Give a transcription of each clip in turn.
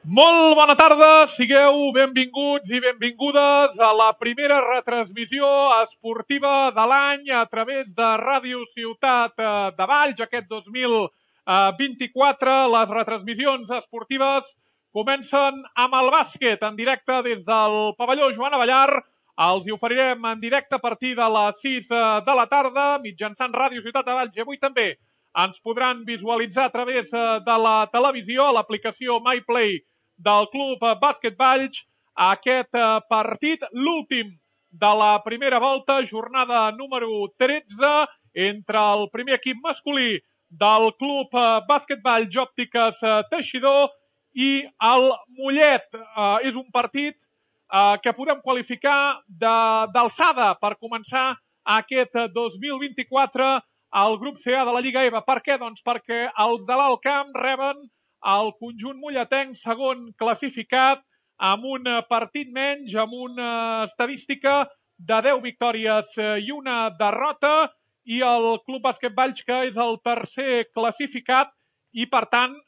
Molt bona tarda, sigueu benvinguts i benvingudes a la primera retransmissió esportiva de l'any a través de Ràdio Ciutat de Valls. Aquest 2024, les retransmissions esportives comencen amb el bàsquet en directe des del pavelló Joan Abellar. Els hi oferirem en directe a partir de les 6 de la tarda mitjançant Ràdio Ciutat de Valls i avui també ens podran visualitzar a través de la televisió, a l'aplicació MyPlay del Club Bàsquet Valls, aquest partit, l'últim de la primera volta, jornada número 13, entre el primer equip masculí del Club Bàsquet Valls Òptiques Teixidor i el Mollet. És un partit que podem qualificar d'alçada per començar aquest 2024 al grup CA de la Lliga EVA. Per què? Doncs perquè els de l'Alt Camp reben el conjunt molletenc segon classificat amb un partit menys, amb una estadística de 10 victòries i una derrota, i el Club Bàsquet Valls, que és el tercer classificat i, per tant,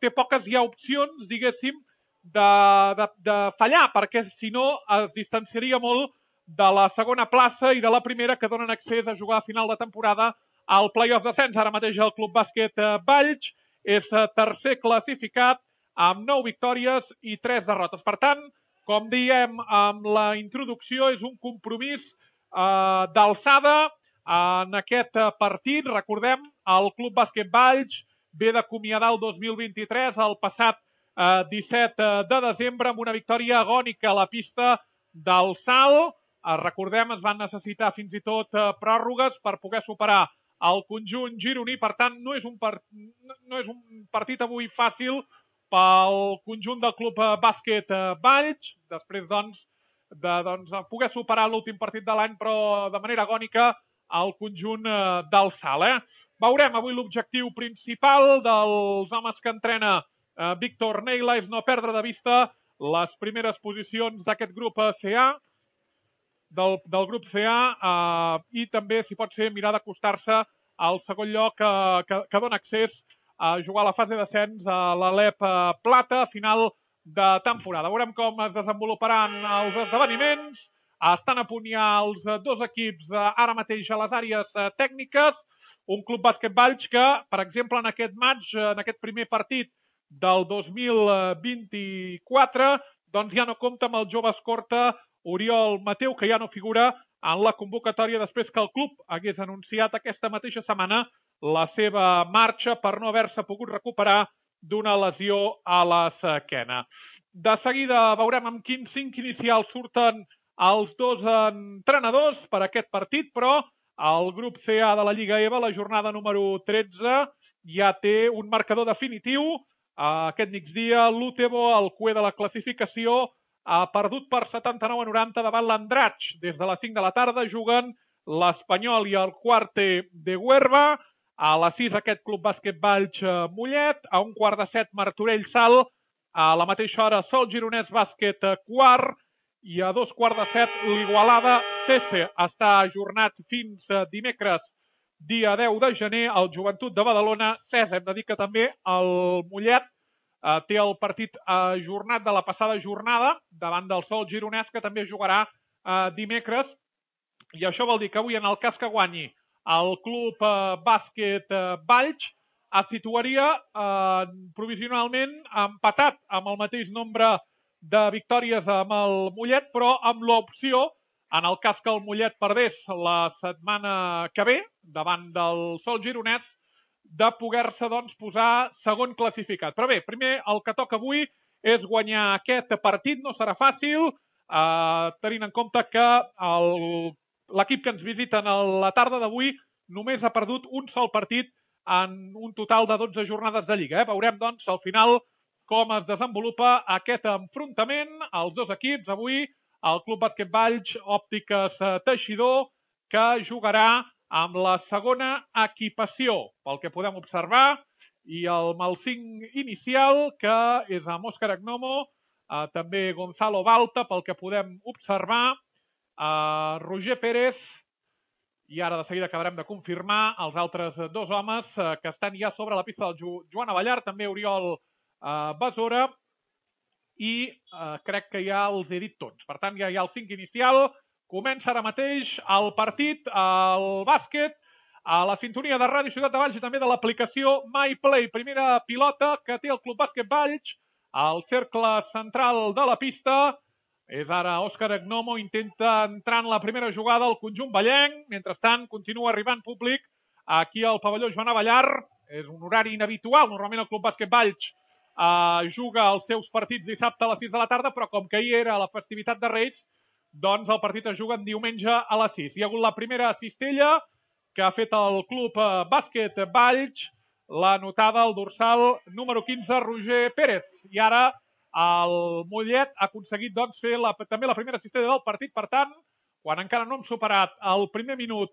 té poques ja opcions, diguéssim, de fallar, perquè si no es distanciaria molt de la segona plaça i de la primera, que donen accés a jugar a final de temporada al play-off d'ascens. Ara mateix el Club Bàsquet Valls és tercer classificat amb 9 victòries i 3 derrotes. Per tant, com diem amb la introducció, és un compromís d'alçada en aquest partit. Recordem, el Club Bàsquet Valls ve d'acomiadar el 2023 el passat 17 de desembre amb una victòria agònica a la pista del Salt. Recordem, es van necessitar fins i tot pròrrogues per poder superar el conjunt gironí. Per tant, no és un partit avui fàcil pel conjunt del Club Bàsquet Valls, després de poder superar l'últim partit de l'any, però de manera agònica al conjunt del Salt. Veurem avui l'objectiu principal dels homes que entrena Víctor Neila és no perdre de vista les primeres posicions d'aquest grup CA, del grup CA, i també, si pot ser, mirar d'acostar-se al segon lloc que dona accés a jugar a la fase d'ascens a l'Alep Plata a final de temporada. Veurem com es desenvoluparan els esdeveniments. Estan a punt ja els dos equips ara mateix a les àrees tècniques. Un Club Bàsquet Valls que, per exemple, en aquest match, en aquest primer partit del 2024, doncs ja no compta amb el jove escorta Oriol Mateu, que ja no figura en la convocatòria després que el club hagués anunciat aquesta mateixa setmana la seva marxa per no haver-se pogut recuperar d'una lesió a l'esquena. De seguida veurem amb quin 5 inicial surten els dos entrenadors per aquest partit, però el grup CA de la Lliga EVA, la jornada número 13, ja té un marcador definitiu. Aquest migdia, l'Utebo, el cué de la classificació, ha perdut per 79-90 davant l'Andratx. Des de les 5 de la tarda juguen l'Espanyol i el Quarte de Huerva. A les 6 aquest Club Bàsquet Valls Mollet. A un quart de 7 Martorell Salt. A la mateixa hora Sol Gironès Bàsquet Quart. I a 2 quarts de 7 l'Igualada Cese. Està ajornat fins dimecres, dia 10 de gener, el Joventut de Badalona. Cese, hem de dir que també el Mollet té el partit ajornat de la passada jornada davant del Sol Gironès, que també jugarà dimecres. I això vol dir que avui, en el cas que guanyi el Club Bàsquet Valls, es situaria provisionalment empatat amb el mateix nombre de victòries amb el Mollet, però amb l'opció, en el cas que el Mollet perdés la setmana que ve davant del Sol Gironès, de poder-se posar segon classificat. Però bé, primer el que toca avui és guanyar aquest partit. No serà fàcil, tenint en compte que l'equip que ens visiten a la tarda d'avui només ha perdut un sol partit en un total de 12 jornades de Lliga. Veurem, doncs, al final com es desenvolupa aquest enfrontament. Els dos equips, avui el Club Bàsquet Valls Òptiques Teixidor, que jugarà amb la segona equipació, pel que podem observar, i amb el 5 inicial, que és amb Òscar Agnomo, també Gonzalo Balta, pel que podem observar, Roger Pérez, i ara de seguida acabarem de confirmar els altres dos homes que estan ja sobre la pista del Joan Abellar, també Oriol Besora i crec que ja els he dit tots. Per tant, ja hi ha el 5 inicial. Comença ara mateix el partit, el bàsquet, a la sintonia de Ràdio Ciutat de Valls i també de l'aplicació MyPlay. Primera pilota que té el Club Bàsquet Valls al cercle central de la pista. És ara Òscar Agnomo, intenta entrar en la primera jugada al conjunt vallenc. Mentrestant, continua arribant públic aquí al pavelló Joan Avellar. És un horari inhabitual. Normalment el Club Bàsquet Valls juga els seus partits dissabte a les 6 de la tarda, però com que ahir era la festivitat de Reis, doncs el partit es juga en diumenge a les 6. Hi ha hagut la primera cistella que ha fet el Club Bàsquet Valls, la notada al dorsal número 15, Roger Pérez. I ara el Mollet ha aconseguit doncs, fer també la primera cistella del partit. Per tant, quan encara no hem superat el primer minut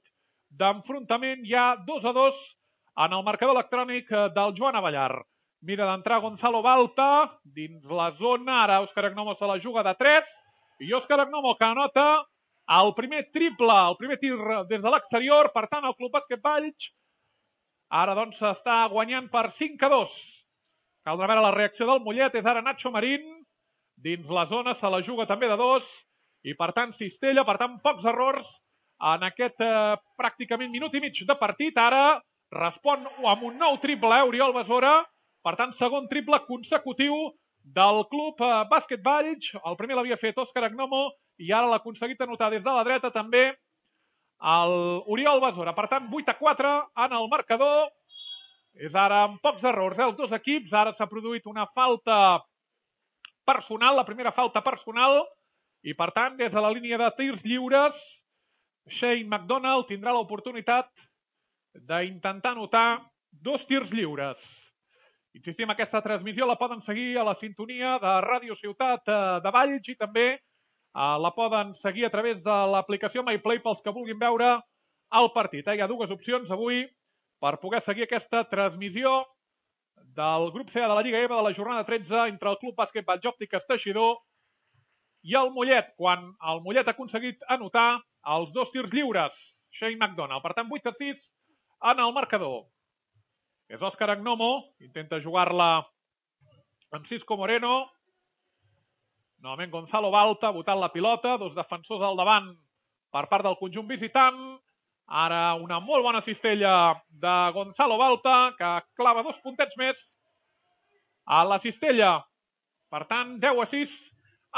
d'enfrontament, hi ha 2-2 en el marcador electrònic del Joan Avellar. Mira d'entrar Gonzalo Balta dins la zona. Ara Òscar Agnomo se la juga de 3. I Òscar Agnomo que anota el primer triple, el primer tir des de l'exterior. Per tant, el Club Bàsquet Valls ara doncs està guanyant per 5-2. Caldrà veure la reacció del Mollet. És ara Nacho Marín. Dins la zona se la juga també de 2. I per tant, cistella, per tant, pocs errors en aquest pràcticament minut i mig de partit. Ara respon amb un nou triple, Oriol Besora. Per tant, segon triple consecutiu del Club Bàsquet Valls. El primer l'havia fet Òscar Agnomo i ara l'ha aconseguit anotar des de la dreta també l'Oriol Besora. Per tant, 8-4 en el marcador. És ara amb pocs errors els dos equips. Ara s'ha produït una falta personal, la primera falta personal. I per tant, des de la línia de tirs lliures, Shane McDonald tindrà l'oportunitat d'intentar anotar 2 tirs lliures. Insistim, aquesta transmissió la poden seguir a la sintonia de Ràdio Ciutat de Valls i també la poden seguir a través de l'aplicació MyPlay pels que vulguin veure el partit. Hi ha dues opcions avui per poder seguir aquesta transmissió del grup C de la Lliga EVA de la jornada 13 entre el Club Bàsquet Valls Òptiques Teixidor i el Mollet, quan el Mollet ha aconseguit anotar els 2 tirs lliures. Shane McDonald. Per tant, 8-6 en el marcador. És Òscar Agnomo, intenta jugar-la amb Cisco Moreno. Novament Gonzalo Balta, botant la pilota, 2 defensors al davant per part del conjunt visitant. Ara una molt bona cistella de Gonzalo Balta, que clava 2 puntets més a la cistella. Per tant, 10-6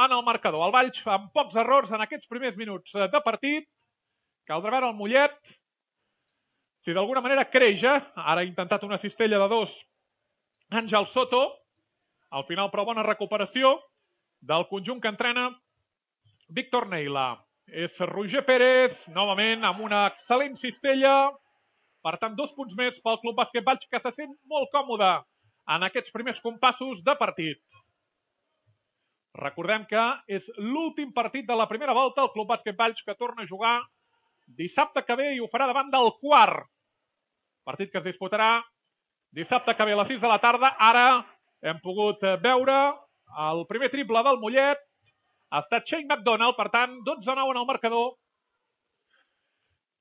en el marcador. El Valls amb pocs errors en aquests primers minuts de partit. Caldrà veure el Mollet si d'alguna manera creix. Ara ha intentat una cistella de 2 Àngel Soto. Al final, però, bona recuperació del conjunt que entrena Víctor Neila. És Roger Pérez, novament, amb una excel·lent cistella. Per tant, 2 punts més pel Club Bàsquet Valls, que se sent molt còmode en aquests primers compassos de partit. Recordem que és l'últim partit de la primera volta. El Club Bàsquet Valls que torna a jugar dissabte que ve i ho farà davant del Quart. Partit que es disputarà dissabte que ve a les 6 de la tarda. Ara hem pogut veure el primer triple del Mollet. Ha estat Shane McDonald, per tant, 12-9 en el marcador.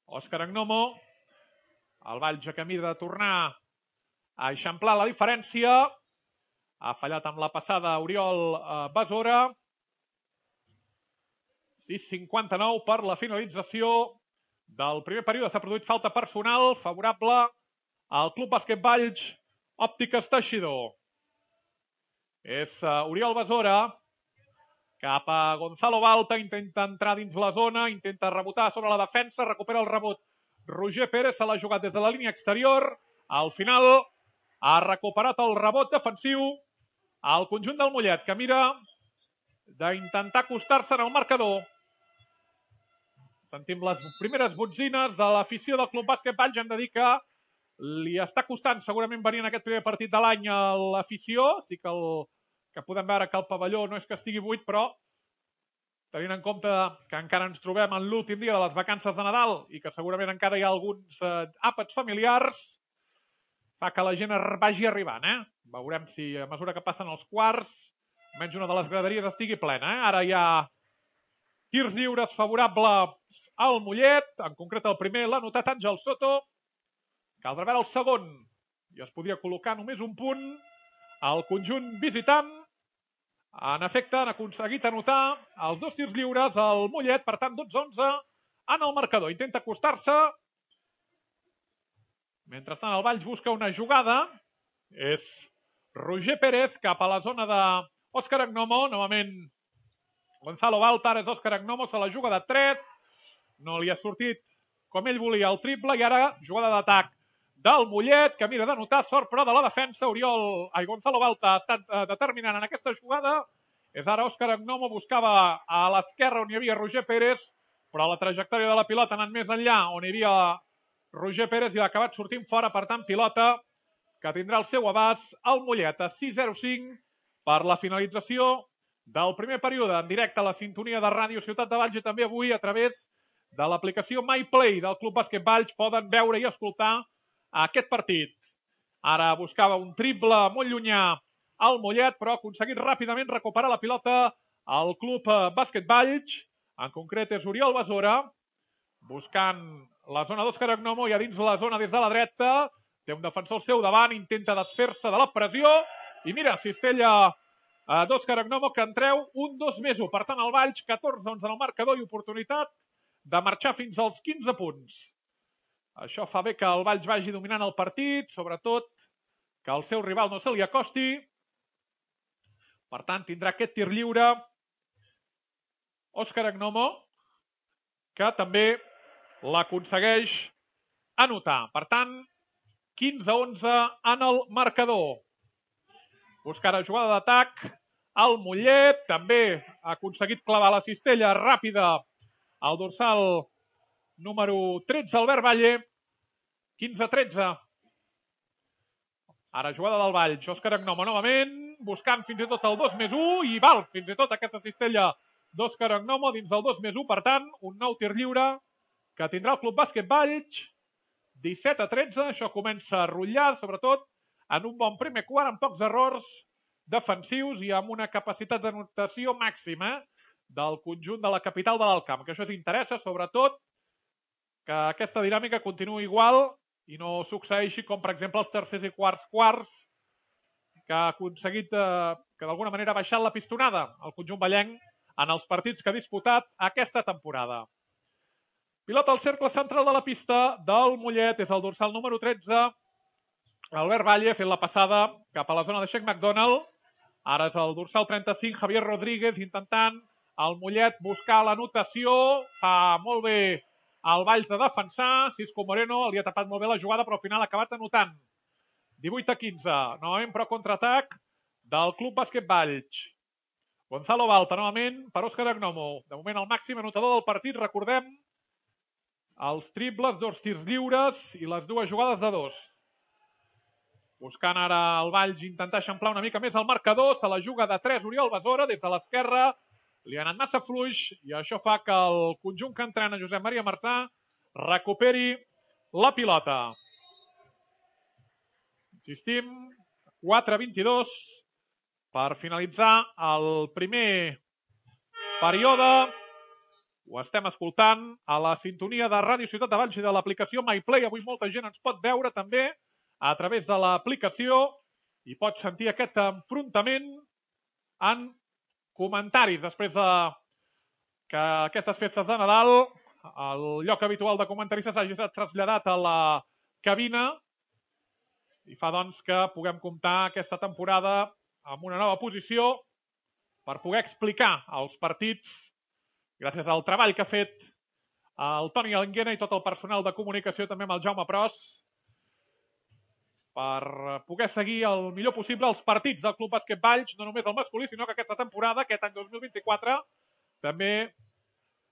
Òscar Agnomo, el Valls a camí de tornar a eixamplar la diferència. Ha fallat amb la passada Oriol Besora. 6:59 per la finalització del primer període. S'ha produït falta personal favorable al Club Bàsquet Valls Òptiques Teixidor. És Oriol Besora cap a Gonzalo Balta, intenta entrar dins la zona, intenta rebotar sobre la defensa, recupera el rebot Roger Pérez, se l'ha jugat des de la línia exterior. Al final ha recuperat el rebot defensiu al conjunt del Mollet, que mira d'intentar acostar-se en el marcador. Sentim les primeres botzines de l'afició del Club Bàsquet Valls. Hem de dir que li està costant segurament venir en aquest primer partit de l'any a l'afició. Sí que podem veure que el pavelló no és que estigui buit, però tenint en compte que encara ens trobem en l'últim dia de les vacances de Nadal i que segurament encara hi ha alguns àpats familiars, fa que la gent vagi arribant. Veurem si a mesura que passen els quarts almenys una de les graderies estigui plena. Ara hi ha tirs lliures favorables al Mollet, en concret el primer l'ha anotat Àngel Soto. Caldrà veure el segon i es podria col·locar només un punt al conjunt visitant. En efecte, han aconseguit anotar els 2 tirs lliures al Mollet, per tant 12-11 en el marcador. Intenta acostar-se. Mentrestant el Valls busca una jugada. És Roger Pérez cap a la zona d'Òscar Agnomo. Novament Gonzalo Balta, ara és Òscar Agnomo, se la juga de 3. No li ha sortit com ell volia el triple i ara jugada d'atac del Mollet, que mira d'anotar, sort però de la defensa. Gonzalo Balta ha estat determinant en aquesta jugada. És ara Òscar Agnomo, buscava a l'esquerra on hi havia Roger Pérez, però la trajectòria de la pilota ha anat més enllà, on hi havia Roger Pérez i l'ha acabat sortint fora. Per tant, pilota que tindrà el seu abast el Mollet a 6:05 per la finalització del primer període, en directe a la sintonia de Ràdio Ciutat de Valls i també avui a través de l'aplicació MyPlay del Club Bàsquet Valls poden veure i escoltar aquest partit. Ara buscava un triple molt llunyà al Mollet, però ha aconseguit ràpidament recuperar la pilota al Club Bàsquet Valls. En concret és Oriol Besora, buscant la zona d'Òscar Agnomo i a dins la zona des de la dreta. Té un defensor al seu davant, intenta desfer-se de la pressió i mira, cistella d'Òscar Agnomo que en treu un 2+1. Per tant, el Valls 14-11 en el marcador i oportunitat de marxar fins als 15 punts. Això fa bé que el Valls vagi dominant el partit, sobretot que el seu rival no se li acosti. Per tant, tindrà aquest tir lliure Òscar Agnomo, que també l'aconsegueix anotar. Per tant, 15-11 en el marcador. Busca ara jugada d'atac al Mollet, també ha aconseguit clavar la cistella ràpida al dorsal número 13, Albert Valle. 15-13. Ara jugada del Valls, Òscar Agnomo novament, buscant fins i tot el 2+1 i val fins i tot aquesta cistella d'Òscar Agnomo dins del 2+1. Per tant, un nou tir lliure que tindrà el Club Bàsquet Valls. 17-13, això comença a rotllar, sobretot en un bon primer quart, amb pocs errors defensius i amb una capacitat d'anotació màxima del conjunt de la capital de l'Alt Camp, que això ens interessa, sobretot que aquesta dinàmica continuï igual i no succeeixi com, per exemple, els tercers i quarts, que ha aconseguit que d'alguna manera ha baixat la pistonada el conjunt vallenc en els partits que ha disputat aquesta temporada. Pilota al cercle central de la pista del Mollet, és el dorsal número 13, Albert Valle, fent la passada cap a la zona de Sheikh McDonald. Ara és el dorsal 35, Javier Rodríguez, intentant el Mollet buscar l'anotació. Fa molt bé el Valls de defensar. Cisco Moreno li ha tapat molt bé la jugada, però al final ha acabat anotant. 18-15. Novament, però, contraatac del Club Bàsquet Valls. Gonzalo Balta, novament, per Òscar Agnomo. De moment, el màxim anotador del partit. Recordem els triples, 2 tirs lliures i les 2 jugades de 2. Buscant ara el Valls intentar eixamplar una mica més el marcador. Se la juga de 3 Oriol Besora des de l'esquerra. Li ha anat massa fluix i això fa que el conjunt que entrena Josep Maria Marçà recuperi la pilota. Insistim, 4-22 per finalitzar el primer període. Ho estem escoltant a la sintonia de Ràdio Ciutat de Valls i de l'aplicació MyPlay. Avui molta gent ens pot veure també a través de l'aplicació i pot sentir aquest enfrontament en comentaris. Després que aquestes festes de Nadal el lloc habitual de comentaristes hagi estat traslladat a la cabina i fa doncs que puguem comptar aquesta temporada amb una nova posició per poder explicar els partits gràcies al treball que ha fet el Toni Anguena i tot el personal de comunicació, també amb el Jaume Pros, per poder seguir el millor possible els partits del Club Bàsquet Valls, no només el masculí, sinó que aquesta temporada, aquest any 2024, també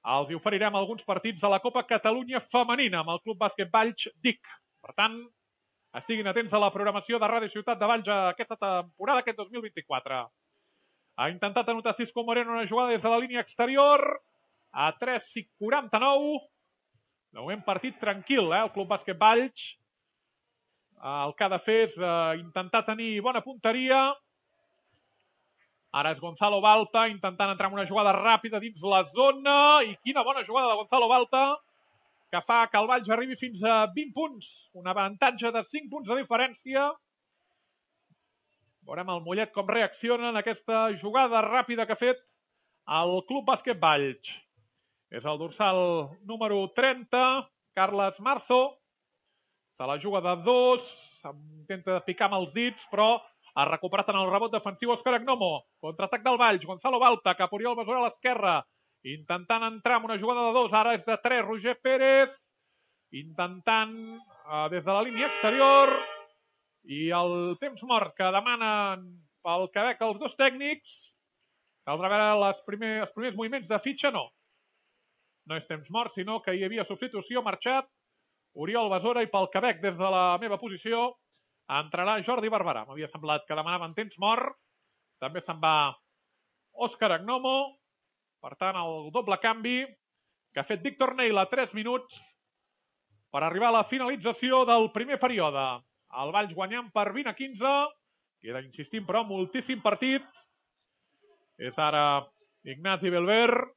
els hi oferirem alguns partits de la Copa Catalunya Femenina amb el Club Bàsquet Valls DIC. Per tant, estiguin atents a la programació de Ràdio Ciutat de Valls aquesta temporada, aquest 2024. Ha intentat anotar Cisco Moreno una jugada des de la línia exterior a 3:49. De moment partit tranquil, el Club Bàsquet Valls. El que ha de fer és intentar tenir bona punteria. Ara és Gonzalo Balta intentant entrar en una jugada ràpida dins la zona. I quina bona jugada de Gonzalo Balta que fa que el Valls arribi fins a 20 punts. Un avantatge de 5 punts de diferència. Veurem el Mollet com reacciona en aquesta jugada ràpida que ha fet el Club Bàsquet Valls. És el dorsal número 30, Carles Marzo. Se la juga de 2, intenta picar amb els dits, però ha recuperat en el rebot defensiu Òscar Agnomo. Contraatac del Valls, Gonzalo Balta, cap Oriol Besora a l'esquerra, intentant entrar en una jugada de 2, ara és de 3, Roger Pérez, intentant des de la línia exterior, i el temps mort que demanen pel Quebec els dos tècnics, caldrà veure els primers moviments de fitxa, no. No és temps mort, sinó que hi havia substitució, marxat Oriol Besora, i pel Quebec, des de la meva posició, entrarà Jordi Barberà. M'havia semblat que demanaven temps mort. També se'n va Òscar Agnomo. Per tant, el doble canvi que ha fet Víctor Neila, 3 minuts per arribar a la finalització del primer període. El Valls guanyant per 20-15. Queda, insistim, però, moltíssim partit. És ara Ignasi Belver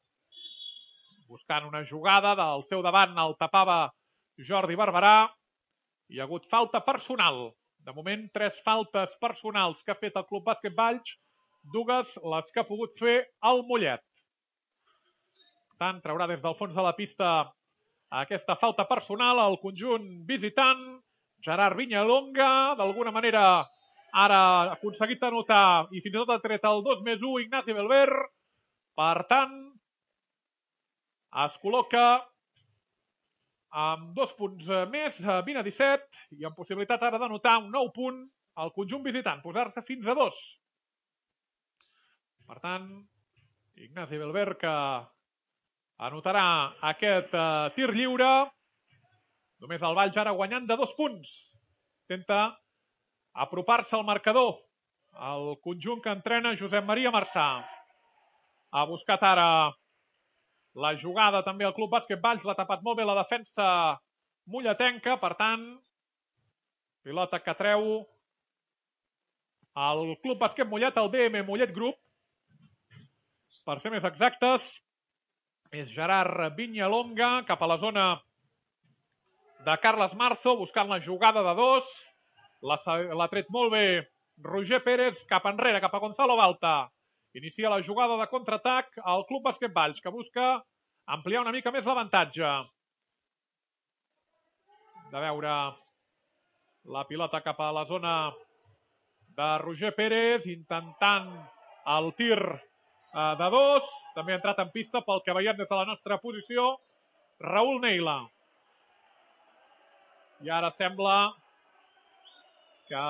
buscant una jugada. Del seu davant el tapava Jordi Barberà. Hi ha hagut falta personal. De moment, 3 faltes personals que ha fet el Club Bàsquet Valls, 2 les que ha pogut fer el Mollet. Per tant, traurà des del fons de la pista aquesta falta personal al conjunt visitant. Gerard Viñalonga, d'alguna manera, ara ha aconseguit anotar i fins i tot ha tret el 2+1 Ignasi Belver. Per tant, es col·loca amb 2 punts més, 20-17, i amb possibilitat ara d'anotar un nou punt al conjunt visitant, posar-se fins a 2. Per tant, Ignasi Belver, que anotarà aquest tir lliure. Només el Valls ara guanyant de 2 punts. Intenta apropar-se al marcador. El conjunt que entrena Josep Maria Marçà. Ha buscat ara la jugada també al Club Bàsquet Valls, l'ha tapat molt bé la defensa molletenca, per tant, pilota que treu el Club Bàsquet Mollet, el DM Mollet Group, per ser més exactes, és Gerard Viñalonga, cap a la zona de Carles Marzo, buscant la jugada de 2, l'ha tret molt bé Roger Pérez, cap enrere, cap a Gonzalo Balta. Inicia la jugada de contraatac al Club Bàsquet Valls, que busca ampliar una mica més l'avantatge. De veure la pilota cap a la zona de Roger Pérez, intentant el tir de 2. També ha entrat en pista pel que veiem des de la nostra posició Raül Neila. I ara sembla que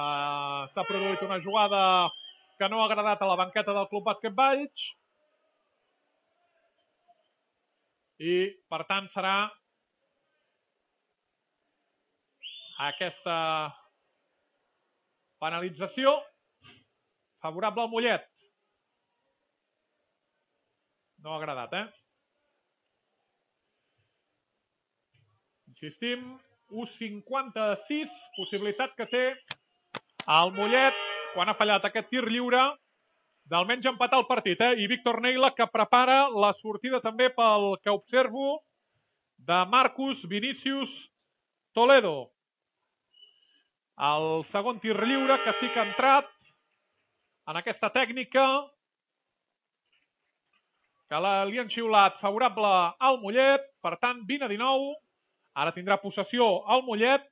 s'ha produït una jugada que no ha agradat a la banqueta del Club Bàsquet Valls. I, per tant, serà aquesta penalització favorable al Mollet. No ha agradat, Insistim, 1,56, possibilitat que té el Mollet, quan ha fallat aquest tir lliure, d'almenys empatar el partit, I Víctor Neila, que prepara la sortida també pel que observo de Marcus Vinícius Toledo. El segon tir lliure, que sí que ha entrat en aquesta tècnica, que li han xiulat favorable al Mollet, per tant, 20-19. Ara tindrà possessió al Mollet,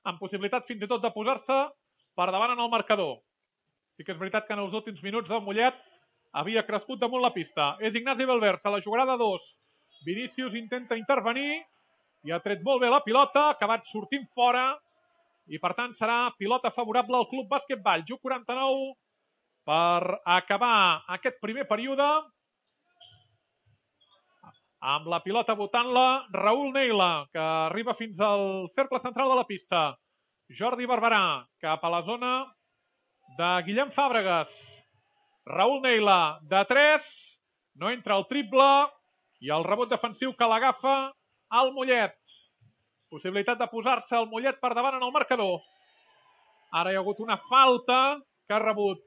amb possibilitat fins i tot de posar-se per davant en el marcador. Sí que és veritat que en els últims minuts el Mollet havia crescut damunt la pista. És Ignasi Belver, se la jugarà de 2. Vinícius intenta intervenir i ha tret molt bé la pilota, ha acabat sortint fora i per tant serà pilota favorable al Club Bàsquet Valls. 1:49 per acabar aquest primer període. Amb la pilota botant-la Raül Neila, que arriba fins al cercle central de la pista. Jordi Barberà, cap a la zona de Guillem Fàbregas. Raül Neila, de 3, no entra el triple, i el rebot defensiu que l'agafa al Mollet. Possibilitat de posar-se el Mollet per davant en el marcador. Ara hi ha hagut una falta que ha rebut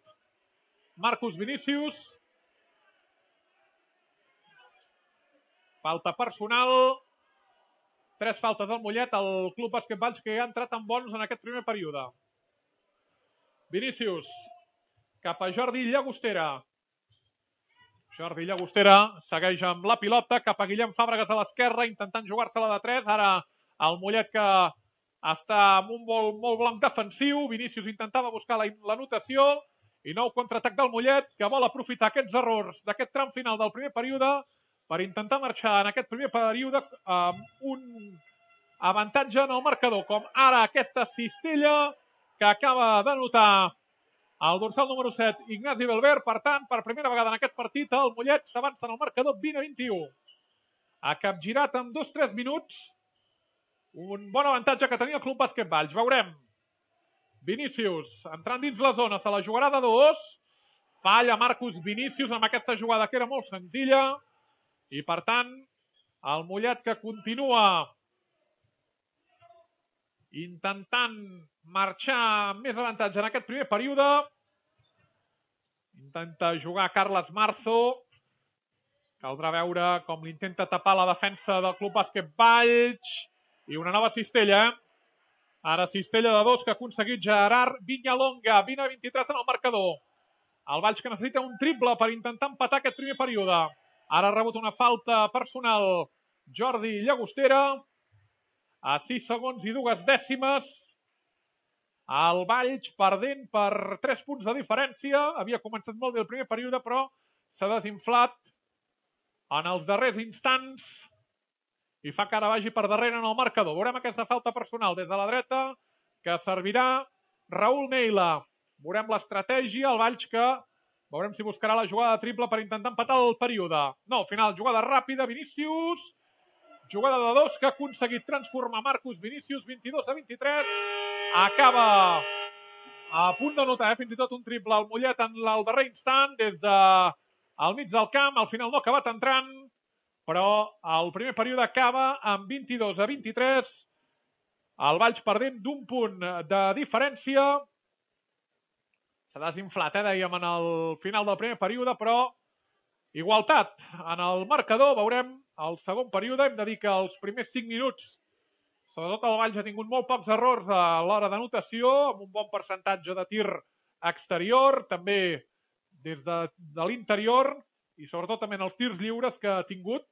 Marcus Vinícius. Falta personal. 3 faltes al Mollet, el Club Bàsquet Valls, que ha entrat en bons en aquest primer període. Vinícius cap a Jordi Llagostera. Jordi Llagostera segueix amb la pilota cap a Guillem Fàbregas a l'esquerra, intentant jugar-se-la de 3. Ara el Mollet que està amb un molt blanc defensiu. Vinícius intentava buscar l'anotació i nou contraatac del Mollet, que vol aprofitar aquests errors d'aquest tram final del primer període per intentar marxar en aquest primer període amb un avantatge en el marcador, com ara aquesta cistella que acaba d'anotar el dorsal número 7, Ignasi Belver. Per tant, per primera vegada en aquest partit, el Mollet s'avança en el marcador 20-21. Ha capgirat en 2-3 minuts un bon avantatge que tenia el Club Bàsquet Valls. Veurem. Vinícius entrant dins la zona, se la jugarà de 2. Falla Marcus Vinícius amb aquesta jugada que era molt senzilla. I per tant, el Mollet que continua intentant marxar amb més avantatge en aquest primer període. Intenta jugar Carles Marzo. Caldrà veure com l'intenta tapar la defensa del Club Bàsquet Valls. I una nova cistella. Ara cistella de 2 que ha aconseguit Gerard Viñalonga. 20-23 en el marcador. El Valls que necessita un triple per intentar empatar aquest primer període. Ara ha rebut una falta personal Jordi Llagostera. A 6 segons i 2 dècimes. El Valls perdent per 3 punts de diferència. Havia començat molt bé el primer període, però s'ha desinflat en els darrers instants i fa que ara vagi per darrere en el marcador. Veurem aquesta falta personal des de la dreta que servirà Raül Neila. Veurem l'estratègia, el Valls que veurem si buscarà la jugada de triple per intentar empatar el període. No, al final, jugada ràpida, Vinícius. Jugada de 2 que ha aconseguit transformar Marcus Vinícius, 22-23. Acaba a punt d'anotar, fins i tot un triple al Mollet en el darrer instant, des del mig del camp. Al final no ha acabat entrant, però el primer període acaba amb 22-23. El Valls perdent d'un punt de diferència. S'ha desinflat, dèiem, en el final del primer període, però igualtat en el marcador. Veurem el segon període. Hem de dir que els primers 5 minuts, sobretot el Valls ha tingut molt pocs errors a l'hora d'anotació, amb un bon percentatge de tir exterior, també des de l'interior, i sobretot també en els tirs lliures que ha tingut,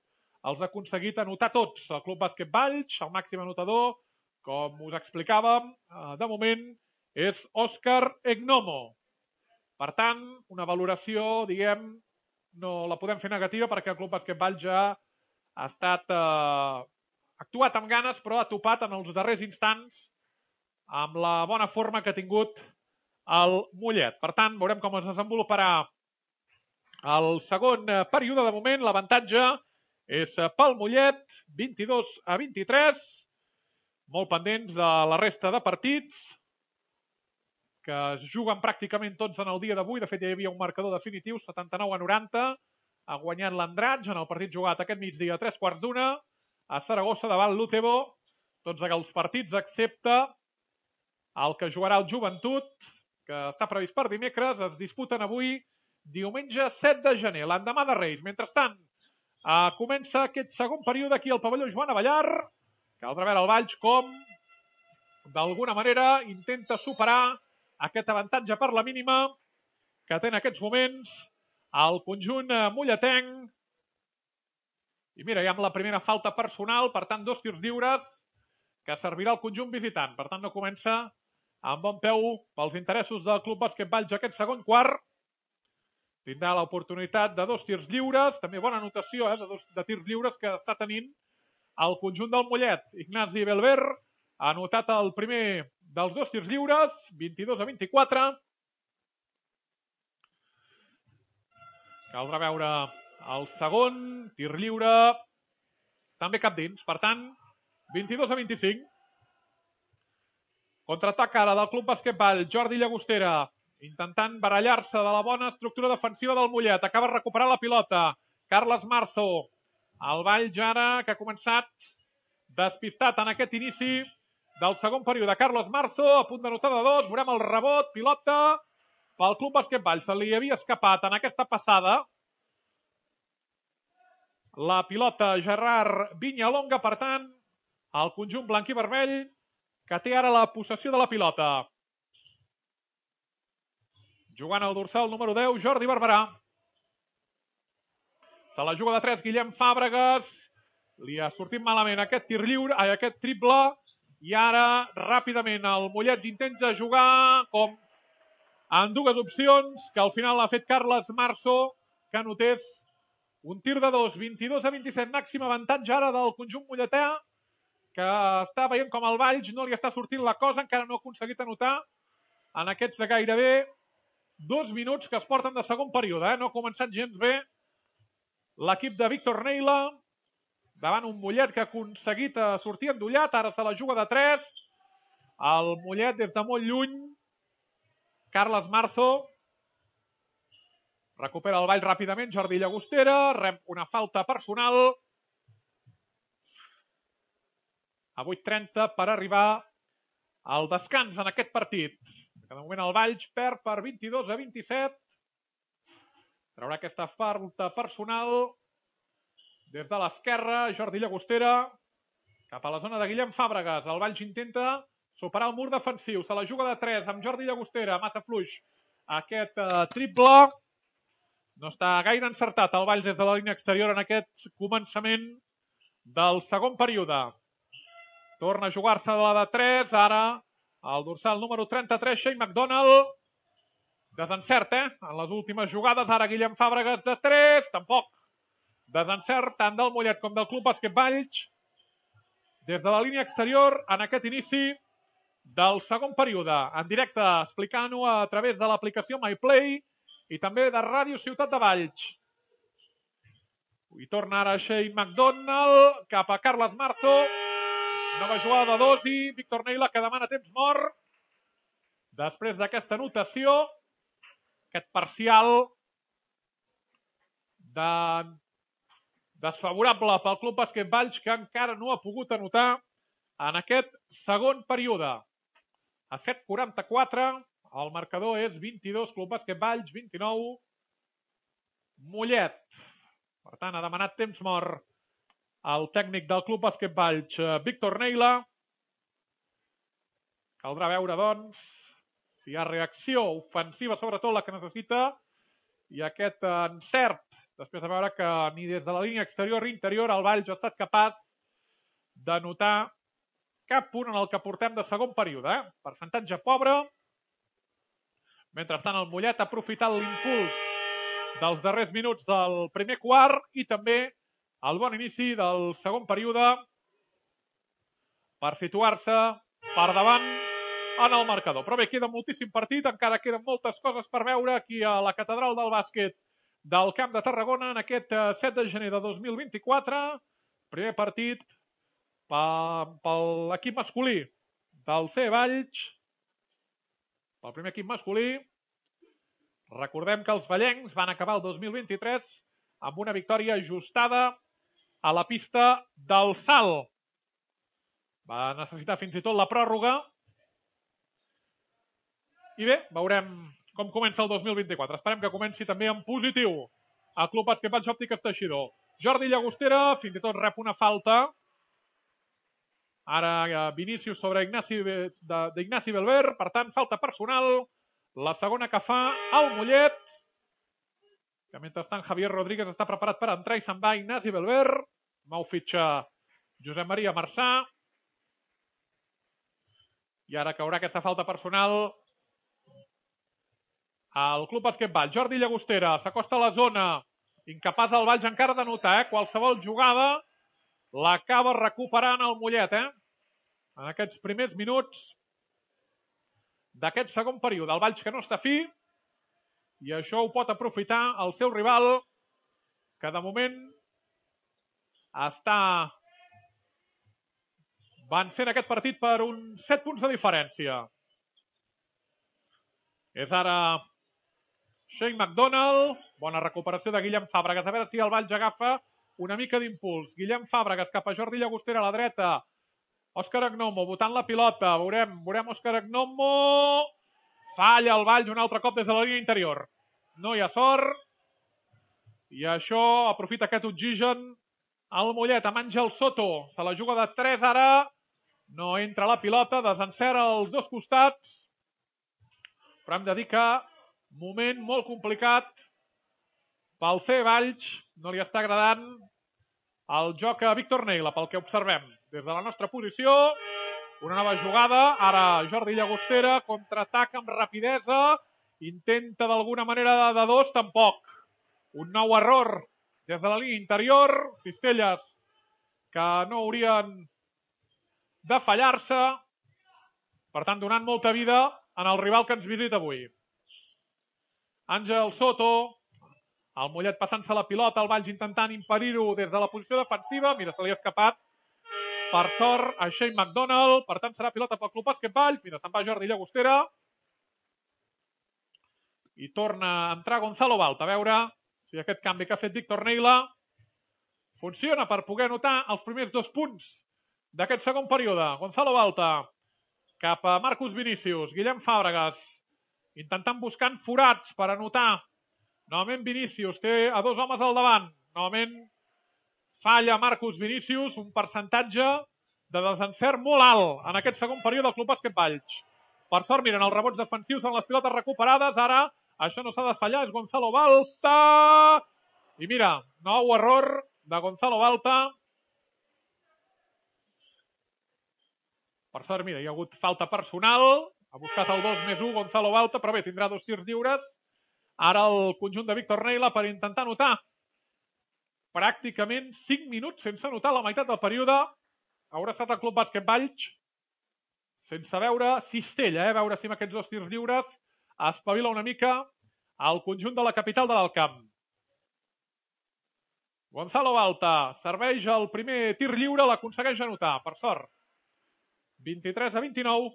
els ha aconseguit anotar tots. El Club Bàsquet Valls, el màxim anotador, com us explicàvem, de moment és Òscar Egnomo. Per tant, una valoració, diguem, no la podem fer negativa perquè el Club Bàsquet Valls ja ha estat actuat amb ganes, però ha topat en els darrers instants amb la bona forma que ha tingut el Mollet. Per tant, veurem com es desenvoluparà el segon període. De moment, l'avantatge és pel Mollet, 22-23. Molt pendents de la resta de partits, que es juguen pràcticament tots en el dia d'avui. De fet, ja hi havia un marcador definitiu, 79-90. Ha guanyat l'Andratx en el partit jugat aquest migdia a 3/4 a Saragossa davant l'Utebo. Tots els partits excepte el que jugarà el Joventut, que està previst per dimecres, es disputen avui, diumenge 7 de gener, l'endemà de Reis. Mentrestant, comença aquest segon període aquí al pavelló Joan Avellar. Caldrà veure el Valls com, d'alguna manera, intenta superar aquest avantatge per la mínima que té en aquests moments el conjunt molletenc. I mira, hi ha la primera falta personal, per tant, 2 tirs lliures que servirà al conjunt visitant. Per tant, no comença amb bon peu pels interessos del Club Bàsquet Valls aquest segon quart. Tindrà l'oportunitat de 2 tirs lliures, també bona anotació de tirs lliures que està tenint el conjunt del Mollet. Ignasi Belver ha anotat el primer dels 2 tirs lliures, 22-24. Caldrà veure el segon, tir lliure, també cap dins. Per tant, 22-25. Contraatac ara del Club Bàsquet Valls, Jordi Llagostera, intentant barallar-se de la bona estructura defensiva del Mollet. Acaba de recuperar la pilota. Carles Marzo. El Valls ara, que ha començat despistat en aquest inici del segon període. Carles Marzo, a punt d'anotar de 2. Veurem el rebot, pilota pel Club Bàsquet Valls. Se li havia escapat en aquesta passada la pilota Gerard Viñalonga. Per tant, el conjunt blanc i vermell que té ara la possessió de la pilota. Jugant al dorsal número 10, Jordi Barberà. Se la juga de 3, Guillem Fàbregas. Li ha sortit malament aquest tir lliure, aquest triple. I ara, ràpidament, el Mollet intenta jugar com en dues opcions, que al final ha fet Carles Marzo, que anotés un tir de 2, 22-27, màxim avantatge ara del conjunt molletà, que està veient com el Valls no li està sortint la cosa, encara no ha aconseguit anotar en aquests de gairebé 2 minuts que es porten de segon període. No ha començat gens bé l'equip de Víctor Neila, davant un Mollet que ha aconseguit sortir endollat, ara se la juga de 3, el Mollet des de molt lluny, Carles Marzo, recupera el Valls ràpidament, Jordi Llagostera, rep una falta personal, a 8:30 per arribar al descans en aquest partit. De moment el Valls perd per 22-27, traurà aquesta falta personal des de l'esquerra, Jordi Llagostera, cap a la zona de Guillem Fàbregas. El Valls intenta superar el mur defensiu. Se la juga de 3 amb Jordi Llagostera. Massa fluix aquest triple. No està gaire encertat el Valls des de la línia exterior en aquest començament del segon període. Torna a jugar-se de la de 3. Ara el dorsal número 33, Shane McDonald. Desencert, en les últimes jugades. Ara Guillem Fàbregas de 3. Tampoc. Desencert tant del Mollet com del Club Bàsquet Valls des de la línia exterior en aquest inici del segon període. En directe, explicant-ho a través de l'aplicació MyPlay i també de Ràdio Ciutat de Valls. I torna ara Shane McDonald cap a Carles Marzo. Nova jugada de 2 i Víctor Neila que demana temps mort. Després d'aquesta anotació, aquest parcial desfavorable pel Club Bàsquet Valls, que encara no ha pogut anotar en aquest segon període. A 7:44, el marcador és 22, Club Bàsquet Valls, 29, Mollet. Per tant, ha demanat temps mort el tècnic del Club Bàsquet Valls, Víctor Neila. Caldrà veure, doncs, si hi ha reacció ofensiva, sobretot la que necessita, i aquest encert, després de veure que ni des de la línia exterior ni interior el Valls ha estat capaç d'anotar cap punt en el que portem de segon període. Percentatge pobre. Mentrestant, el Mollet ha aprofitat l'impuls dels darrers minuts del primer quart i també el bon inici del segon període per situar-se per davant en el marcador. Però bé, queda moltíssim partit, encara queden moltes coses per veure aquí a la Catedral del Bàsquet del Camp de Tarragona en aquest 7 de gener de 2024. Primer partit per l'equip masculí del CE Valls. Pel primer equip masculí. Recordem que els vallencs van acabar el 2023 amb una victòria ajustada a la pista del Salt. Va necessitar fins i tot la pròrroga. I bé, veurem com comença el 2024. Esperem que comenci també en positiu el Club Bàsquet Valls Òptiques Teixidor. Jordi Llagostera fins i tot rep una falta. Ara Vinícius sobre d'Ignasi Belver. Per tant, falta personal. La segona que fa el Mollet. Que mentrestant Javier Rodríguez està preparat per entrar i se'n va Ignasi Belver. Nou fitxa Josep Maria Marçà. I ara caurà aquesta falta personal al Club Bàsquet Valls. Jordi Llagostera s'acosta a la zona. Incapaç el Valls encara d'anotar. Qualsevol jugada l'acaba recuperant el Mollet. En aquests primers minuts d'aquest segon període. El Valls que no està fi i això ho pot aprofitar el seu rival, que de moment està vencent aquest partit per uns 7 punts de diferència. És ara Shane McDonald. Bona recuperació de Guillem Fàbregas. A veure si el Valls agafa una mica d'impuls. Guillem Fàbregas cap a Jordi Llagostera a la dreta. Òscar Agnomo botant la pilota. Veurem Òscar Agnomo. Falla el Valls un altre cop des de la línia interior. No hi ha sort. I això aprofita aquest oxigen el Mollet amb Àngel Soto. Se la juga de 3 ara. No entra la pilota. Desencera als dos costats. Però hem de dir que Moment molt complicat pel C. Valls. No li està agradant el joc a Víctor Neila, pel que observem. Des de la nostra posició, una nova jugada. Ara Jordi Llagostera, contraataca amb rapidesa. Intenta d'alguna manera de dos, tampoc. Un nou error des de la línia interior. Cistelles que no haurien de fallar-se. Per tant, donant molta vida en el rival que ens visita avui. Àngel Soto, el Mollet passant-se la pilota, el Valls intentant impedir-ho des de la posició defensiva. Mira, se li ha escapat, per sort, a Shane McDonald. Per tant, serà pilota pel Club Bàsquet Valls. Mira, se'n va Jordi Llagostera. I torna a entrar Gonzalo Balta. A veure si aquest canvi que ha fet Víctor Neila funciona per poder anotar els primers 2 punts d'aquest segon període. Gonzalo Balta cap a Marcus Vinícius. Guillem Fàbregas intentant buscant forats per anotar. Novament Vinícius té a 2 homes al davant. Novament falla Marcus Vinícius, un percentatge de desencert molt alt en aquest segon període del Club Bàsquet Valls. Per sort, miren, els rebots defensius són les pilotes recuperades. Ara, això no s'ha de fallar, és Gonzalo Balta. I mira, nou error de Gonzalo Balta. Per sort, mira, hi ha hagut falta personal. Ha buscat el 2+1 Gonzalo Balta, però bé, tindrà 2 tirs lliures. Ara el conjunt de Víctor Neila per intentar anotar. Pràcticament 5 minuts sense anotar la meitat del període. Haurà estat el Club Bàsquet Valls sense veure cistella, veure si amb aquests 2 tirs lliures espavila una mica el conjunt de la capital de l'Alt Camp. Gonzalo Balta serveix el primer tir lliure, l'aconsegueix anotar, per sort. 23-29.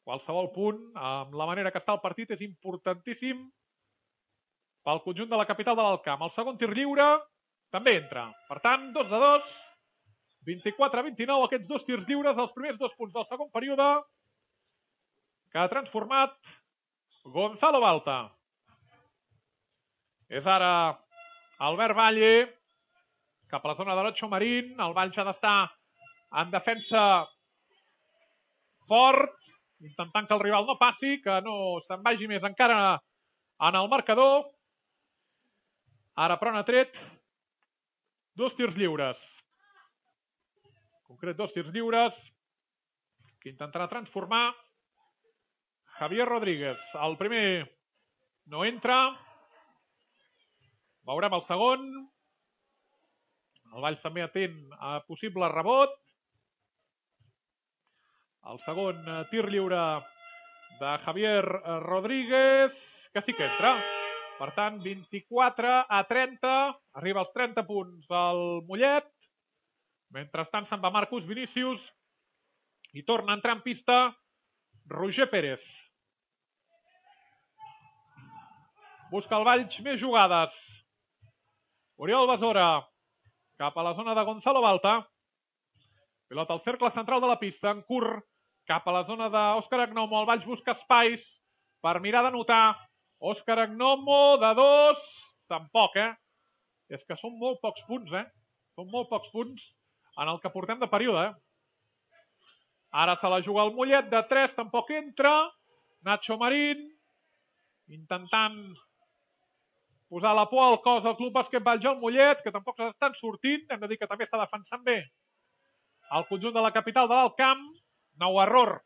Qualsevol punt, amb la manera que està el partit, és importantíssim pel conjunt de la capital de l'Alt Camp. El segon tir lliure també entra. Per tant, 2-2, 24-29, aquests 2 tirs lliures, els primers 2 punts del segon període, que ha transformat Gonzalo Balta. És ara Albert Valle, cap a la zona de Nacho Marín. El Valls ha d'estar en defensa fort, intentant que el rival no passi, que no se'n vagi més encara en el marcador. Ara, però, n'ha tret 2 tirs lliures. En concret, 2 tirs lliures que intentarà transformar Javier Rodríguez. El primer no entra. Veurem el segon. El Valls també atent a possible rebot. El segon tir lliure de Javier Rodríguez, que sí que entra. Per tant, 24-30. Arriba als 30 punts el Mollet. Mentrestant se'n va Marcus Vinícius i torna a entrar en pista Roger Pérez. Busca el Valls més jugades. Oriol Besora cap a la zona de Gonzalo Balta. Pilota al cercle central de la pista, en curt, cap a la zona d'Òscar Agnomo. El Valls busca espais per mirar d'anotar. Òscar Agnomo de 2. Tampoc, És que són molt pocs punts, Són molt pocs punts en el que portem de període, Ara se la juga el Mollet de 3, tampoc entra. Nacho Marín intentant posar la por al cos del Club Bàsquet Valls al Mollet, que tampoc s'estan sortint. Hem de dir que també està defensant bé el conjunt de la capital de l'Alt Camp. Nou error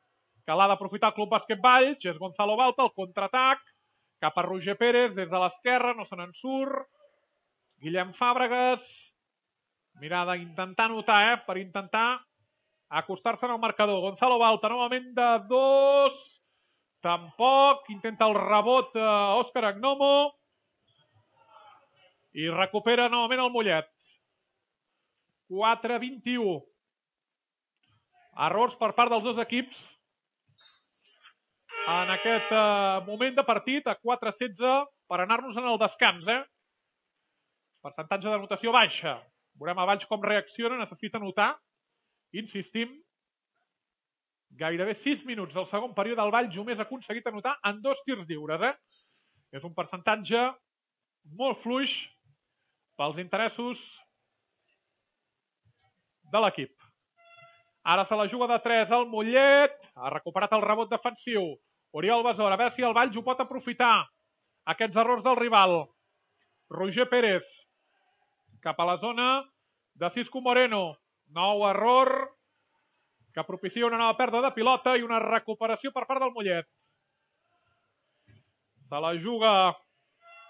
que l'ha d'aprofitar el Club Bàsquet Valls. És Gonzalo Balta, el contraatac cap a Roger Pérez des de l'esquerra, no se n'en surt. Guillem Fàbregas, mirada intentar anotar, per intentar acostar-se al marcador. Gonzalo Balta, novament de 2. Tampoc. Intenta el rebot Òscar Agnomo. I recupera novament el Mollet. 4-21. Errors per part dels dos equips en aquest moment de partit, a 4-16, per anar-nos en el descans, Percentatge d'anotació baixa. Veurem a Valls com reacciona, necessita anotar. Insistim. Gairebé 6 minuts del segon període, el Valls només ha aconseguit anotar en 2 tirs lliures, És un percentatge molt fluix pels interessos de l'equip. Ara se la juga de 3 al Mollet. Ha recuperat el rebot defensiu. Oriol Besora, a veure si el Valls ho pot aprofitar. Aquests errors del rival. Roger Pérez, cap a la zona de Cisco Moreno. Nou error que propicia una nova pèrdua de pilota i una recuperació per part del Mollet. Se la juga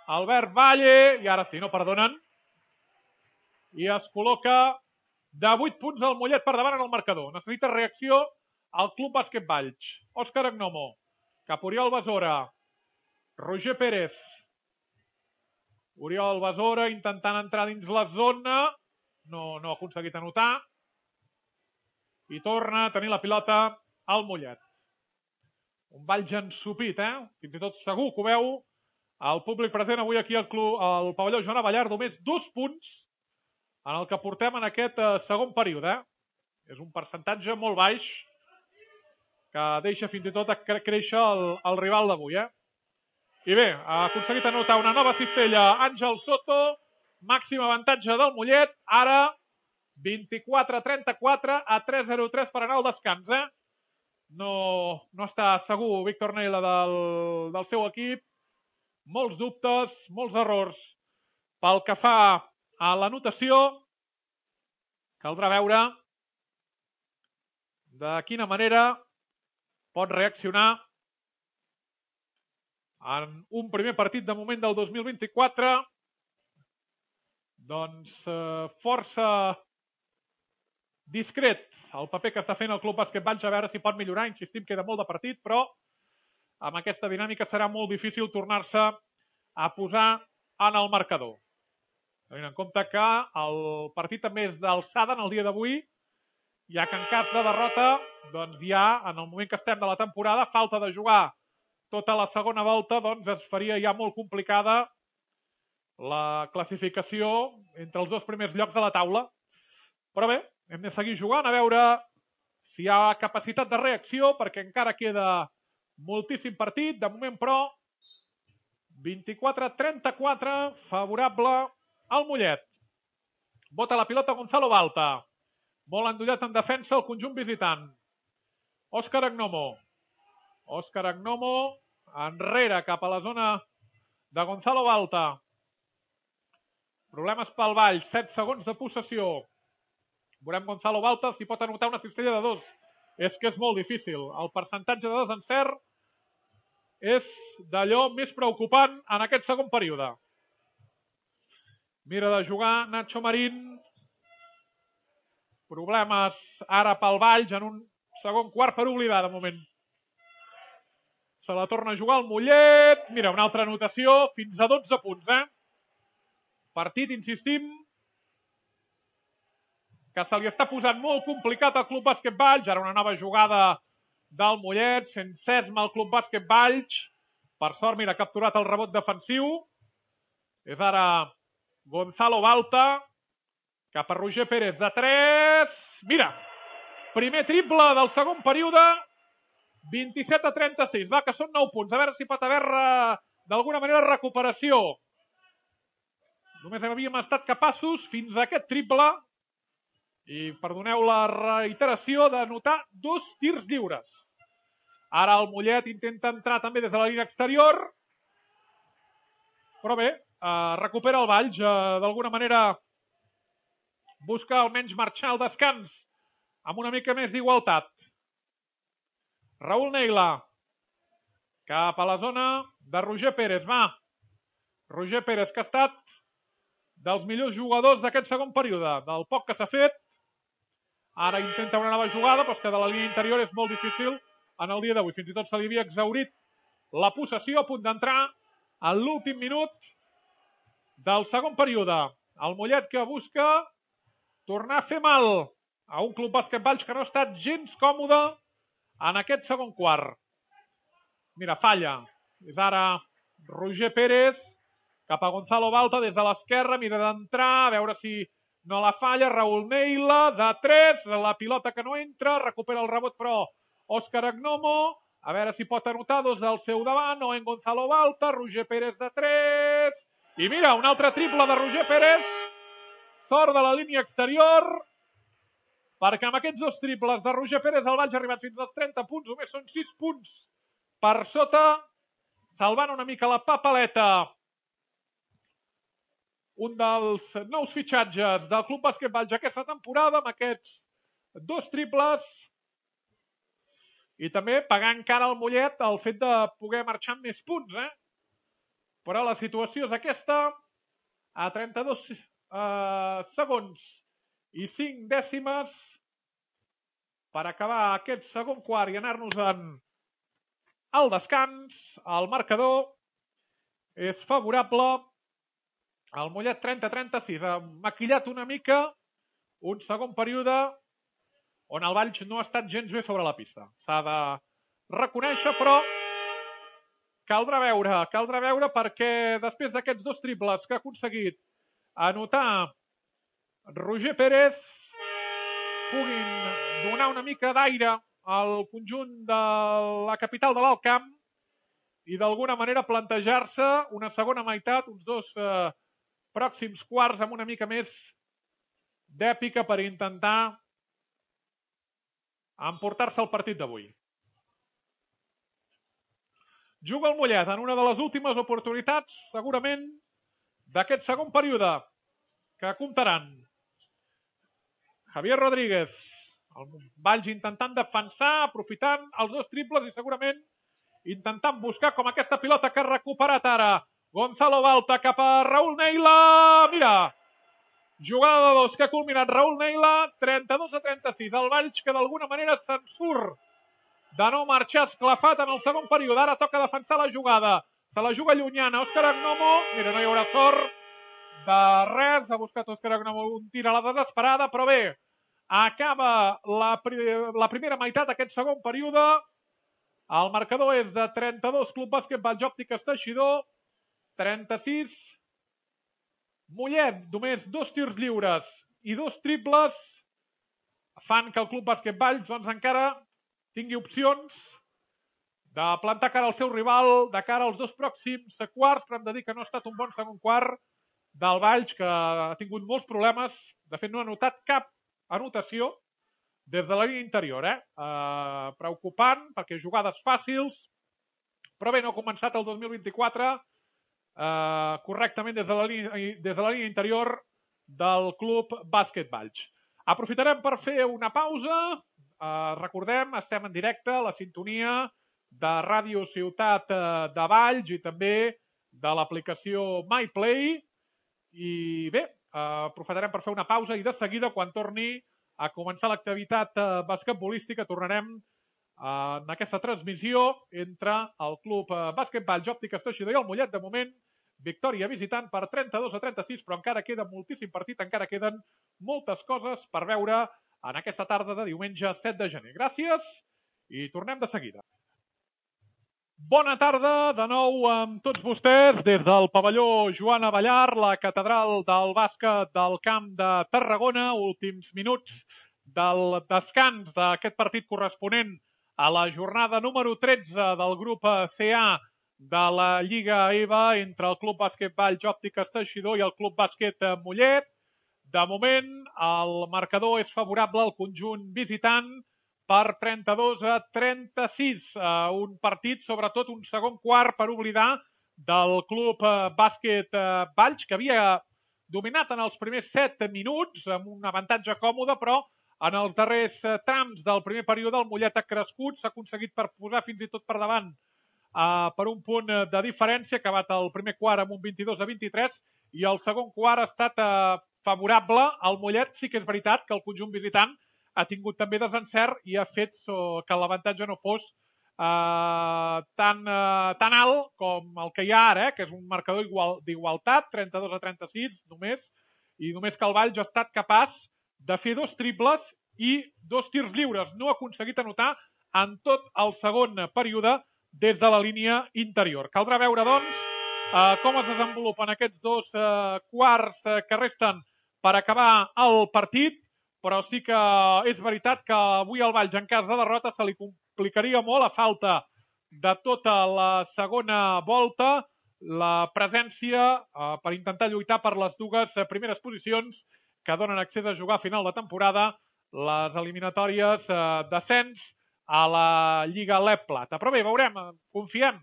Albert Valle, i ara sí, no perdonen. I es col·loca de 8 punts al Mollet per davant en el marcador. Necessita reacció al Club Bàsquet Valls. Òscar Agnomo, cap Oriol Besora. Roger Pérez. Oriol Besora intentant entrar dins la zona. No ha aconseguit anotar. I torna a tenir la pilota al Mollet. Un Valls ensupit, Fins i tot segur que ho veu el públic present avui aquí al pavelló Joan Abellar. Només 2 punts en el que portem en aquest segon període. És un percentatge molt baix que deixa fins i tot créixer el rival d'avui. I bé, ha aconseguit anotar una nova cistella Àngel Soto. Màxim avantatge del Mollet. Ara 24-34 a 3-0-3 per anar al descans. No està segur Víctor Neila del seu equip. Molts dubtes, molts errors pel que fa a l'anotació. Caldrà veure de quina manera pot reaccionar en un primer partit de moment del 2024. Doncs força discret el paper que està fent el Club Bàsquet Valls, a veure si pot millorar. Insistim, queda molt de partit, però amb aquesta dinàmica serà molt difícil tornar-se a posar en el marcador. Tenint en compte que el partit també és d'alçada en el dia d'avui, ja que en cas de derrota, doncs ja en el moment que estem de la temporada, falta de jugar tota la segona volta, doncs es faria ja molt complicada la classificació entre els 2 primers llocs de la taula. Però bé, hem de seguir jugant, a veure si hi ha capacitat de reacció, perquè encara queda moltíssim partit. De moment, però, 24-34, favorable al Mollet. Bota la pilota Gonzalo Balta. Molt endollat en defensa el conjunt visitant. Òscar Agnomo. Òscar Agnomo enrere cap a la zona de Gonzalo Balta. Problemes pel Valls, 7 segons de possessió. Veurem Gonzalo Balta si pot anotar una cistella de 2. És que és molt difícil. El percentatge de desencert és d'allò més preocupant en aquest segon període. Mira de jugar Nacho Marín. Problemes ara pel Valls en un segon quart per oblidar de moment. Se la torna a jugar el Mollet. Mira, una altra anotació, fins a 12 punts. Partit, insistim, que se li està posant molt complicat al Club Bàsquet Valls. Ara una nova jugada del Mollet, sense esma el Club Bàsquet Valls. Per sort, mira, ha capturat el rebot defensiu. És ara Gonzalo Balta, cap a Roger Pérez de 3. Mira, primer triple del segon període, 27-36. Va, que són 9 punts. A veure si pot haver d'alguna manera recuperació. Només havíem estat capaços fins a aquest triple. I perdoneu la reiteració d'anotar 2 tirs lliures. Ara el Mollet intenta entrar també des de la línia exterior. Però bé, recupera el Valls. D'alguna manera busca almenys marxar al descans amb una mica més d'igualtat. Raúl Neila cap a la zona de Roger Pérez. Va, Roger Pérez, que ha estat dels millors jugadors d'aquest segon període, del poc que s'ha fet. Ara intenta una nova jugada, però és que de la línia interior és molt difícil en el dia d'avui. Fins i tot se li havia exhaurit la possessió, a punt d'entrar en l'últim minut del segon període. El Mollet que busca tornar a fer mal a un Club Bàsquet Valls que no ha estat gens còmode en aquest segon quart. Mira, falla. És ara Roger Pérez cap a Gonzalo Balta des de l'esquerra. Mira d'entrar, a veure si no la falla. Raúl Neila de 3. La pilota que no entra. Recupera el rebot, però Òscar Agnomo. A veure si pot anotar 2 al seu davant. O en Gonzalo Balta. Roger Pérez de 3. I mira, un altre triple de Roger Pérez. Sort de la línia exterior. Perquè amb aquests 2 triples de Roger Pérez el Valls ha arribat fins als 30 punts. Només són 6 punts per sota, salvant una mica la papaleta. Un dels nous fitxatges del Club Bàsquet Valls aquesta temporada amb aquests 2 triples i també pagant cara al Mollet el fet de poder marxar amb més punts. Però la situació és aquesta, a 32 segons i 5 dècimes per acabar aquest segon quart i anar-nos-en al descans. El marcador és favorable al Mollet 30-36. Ha maquillat una mica un segon període on el Valls no ha estat gens bé sobre la pista. S'ha de reconèixer, però caldrà veure perquè després d'aquests 2 triples que ha aconseguit anotar Roger Pérez puguin donar una mica d'aire al conjunt de la capital de l'Alt Camp i d'alguna manera plantejar-se una segona meitat, uns 2 pròxims quarts amb una mica més d'èpica per intentar emportar-se el partit d'avui. Juga el Mollet en una de les últimes oportunitats, segurament, d'aquest segon període, que comptaran Javier Rodríguez, el Valls intentant defensar, aprofitant els 2 triples i segurament intentant buscar com aquesta pilota que ha recuperat ara Gonzalo Balta cap a Raúl Neila. Mira, jugada de 2 que ha culminat Raúl Neila, 32-36. El Valls que d'alguna manera se'n surt de no marxar esclafat en el segon període. Ara toca defensar la jugada. Se la juga llunyana. Òscar Agnomo. Mira, no hi haurà sort de res. Ha buscat Òscar Agnomo un tir a la desesperada, però bé, acaba la primera meitat d'aquest segon període. El marcador és de 32 Club Bàsquet Valls Òptiques Teixidor, 36. Mollet, només 2 tirs lliures i 2 triples fan que el Club Bàsquet Valls doncs encara tingui opcions de plantar cara al seu rival de cara als 2 pròxims quarts, però hem de dir que no ha estat un bon segon quart del Valls, que ha tingut molts problemes. De fet, no ha notat cap anotació des de la línia interior. Preocupant, perquè jugades fàcils, però bé, no ha començat el 2024 correctament des de la línia interior del Club Bàsquet Valls. Aprofitarem per fer una pausa. Recordem, estem en directe a la sintonia de Ràdio Ciutat de Valls i també de l'aplicació MyPlay. I bé, aprofitarem per fer una pausa i de seguida, quan torni a començar l'activitat basquetbolística, tornarem en aquesta transmissió entre el Club Bàsquet Valls Òptiques Teixidor i el Mollet. De moment, victòria visitant per 32-36, però encara queda moltíssim partit, encara queden moltes coses per veure en aquesta tarda de diumenge 7 de gener. Gràcies i tornem de seguida. Bona tarda de nou amb tots vostès des del pavelló Joan Abellar, la catedral del bàsquet del Camp de Tarragona. Últims minuts del descans d'aquest partit corresponent a la jornada número 13 del grup CA de la Lliga EVA entre el Club Bàsquet Valls Òptiques Teixidor i el Club Bàsquet Mollet. De moment, el marcador és favorable al conjunt visitant per 32-36. Un partit, sobretot un segon quart per oblidar del Club Bàsquet Valls, que havia dominat en els primers 7 minuts amb un avantatge còmode, però en els darrers trams del primer període el Mollet ha crescut, s'ha aconseguit per posar fins i tot per davant per un punt de diferència, ha acabat el primer quart amb un 22-23 i el segon quart ha estat favorable al Mollet. Sí que és veritat que el conjunt visitant ha tingut també desencert i ha fet que l'avantatge no fos tan alt com el que hi ha ara, que és un marcador d'igualtat, 32-36 només, i només que el Valls ha estat capaç de fer 2 triples i 2 tirs lliures. No ha aconseguit anotar en tot el segon període des de la línia interior. Caldrà veure, doncs, com es desenvolupen aquests 2 quarts que resten per acabar el partit, però sí que és veritat que avui al Valls, en cas de derrota, se li complicaria molt a falta de tota la segona volta la presència per intentar lluitar per les 2 primeres posicions que donen accés a jugar a final de temporada les eliminatòries d'ascens a la Lliga LEP Plata. Però bé, veurem, confiem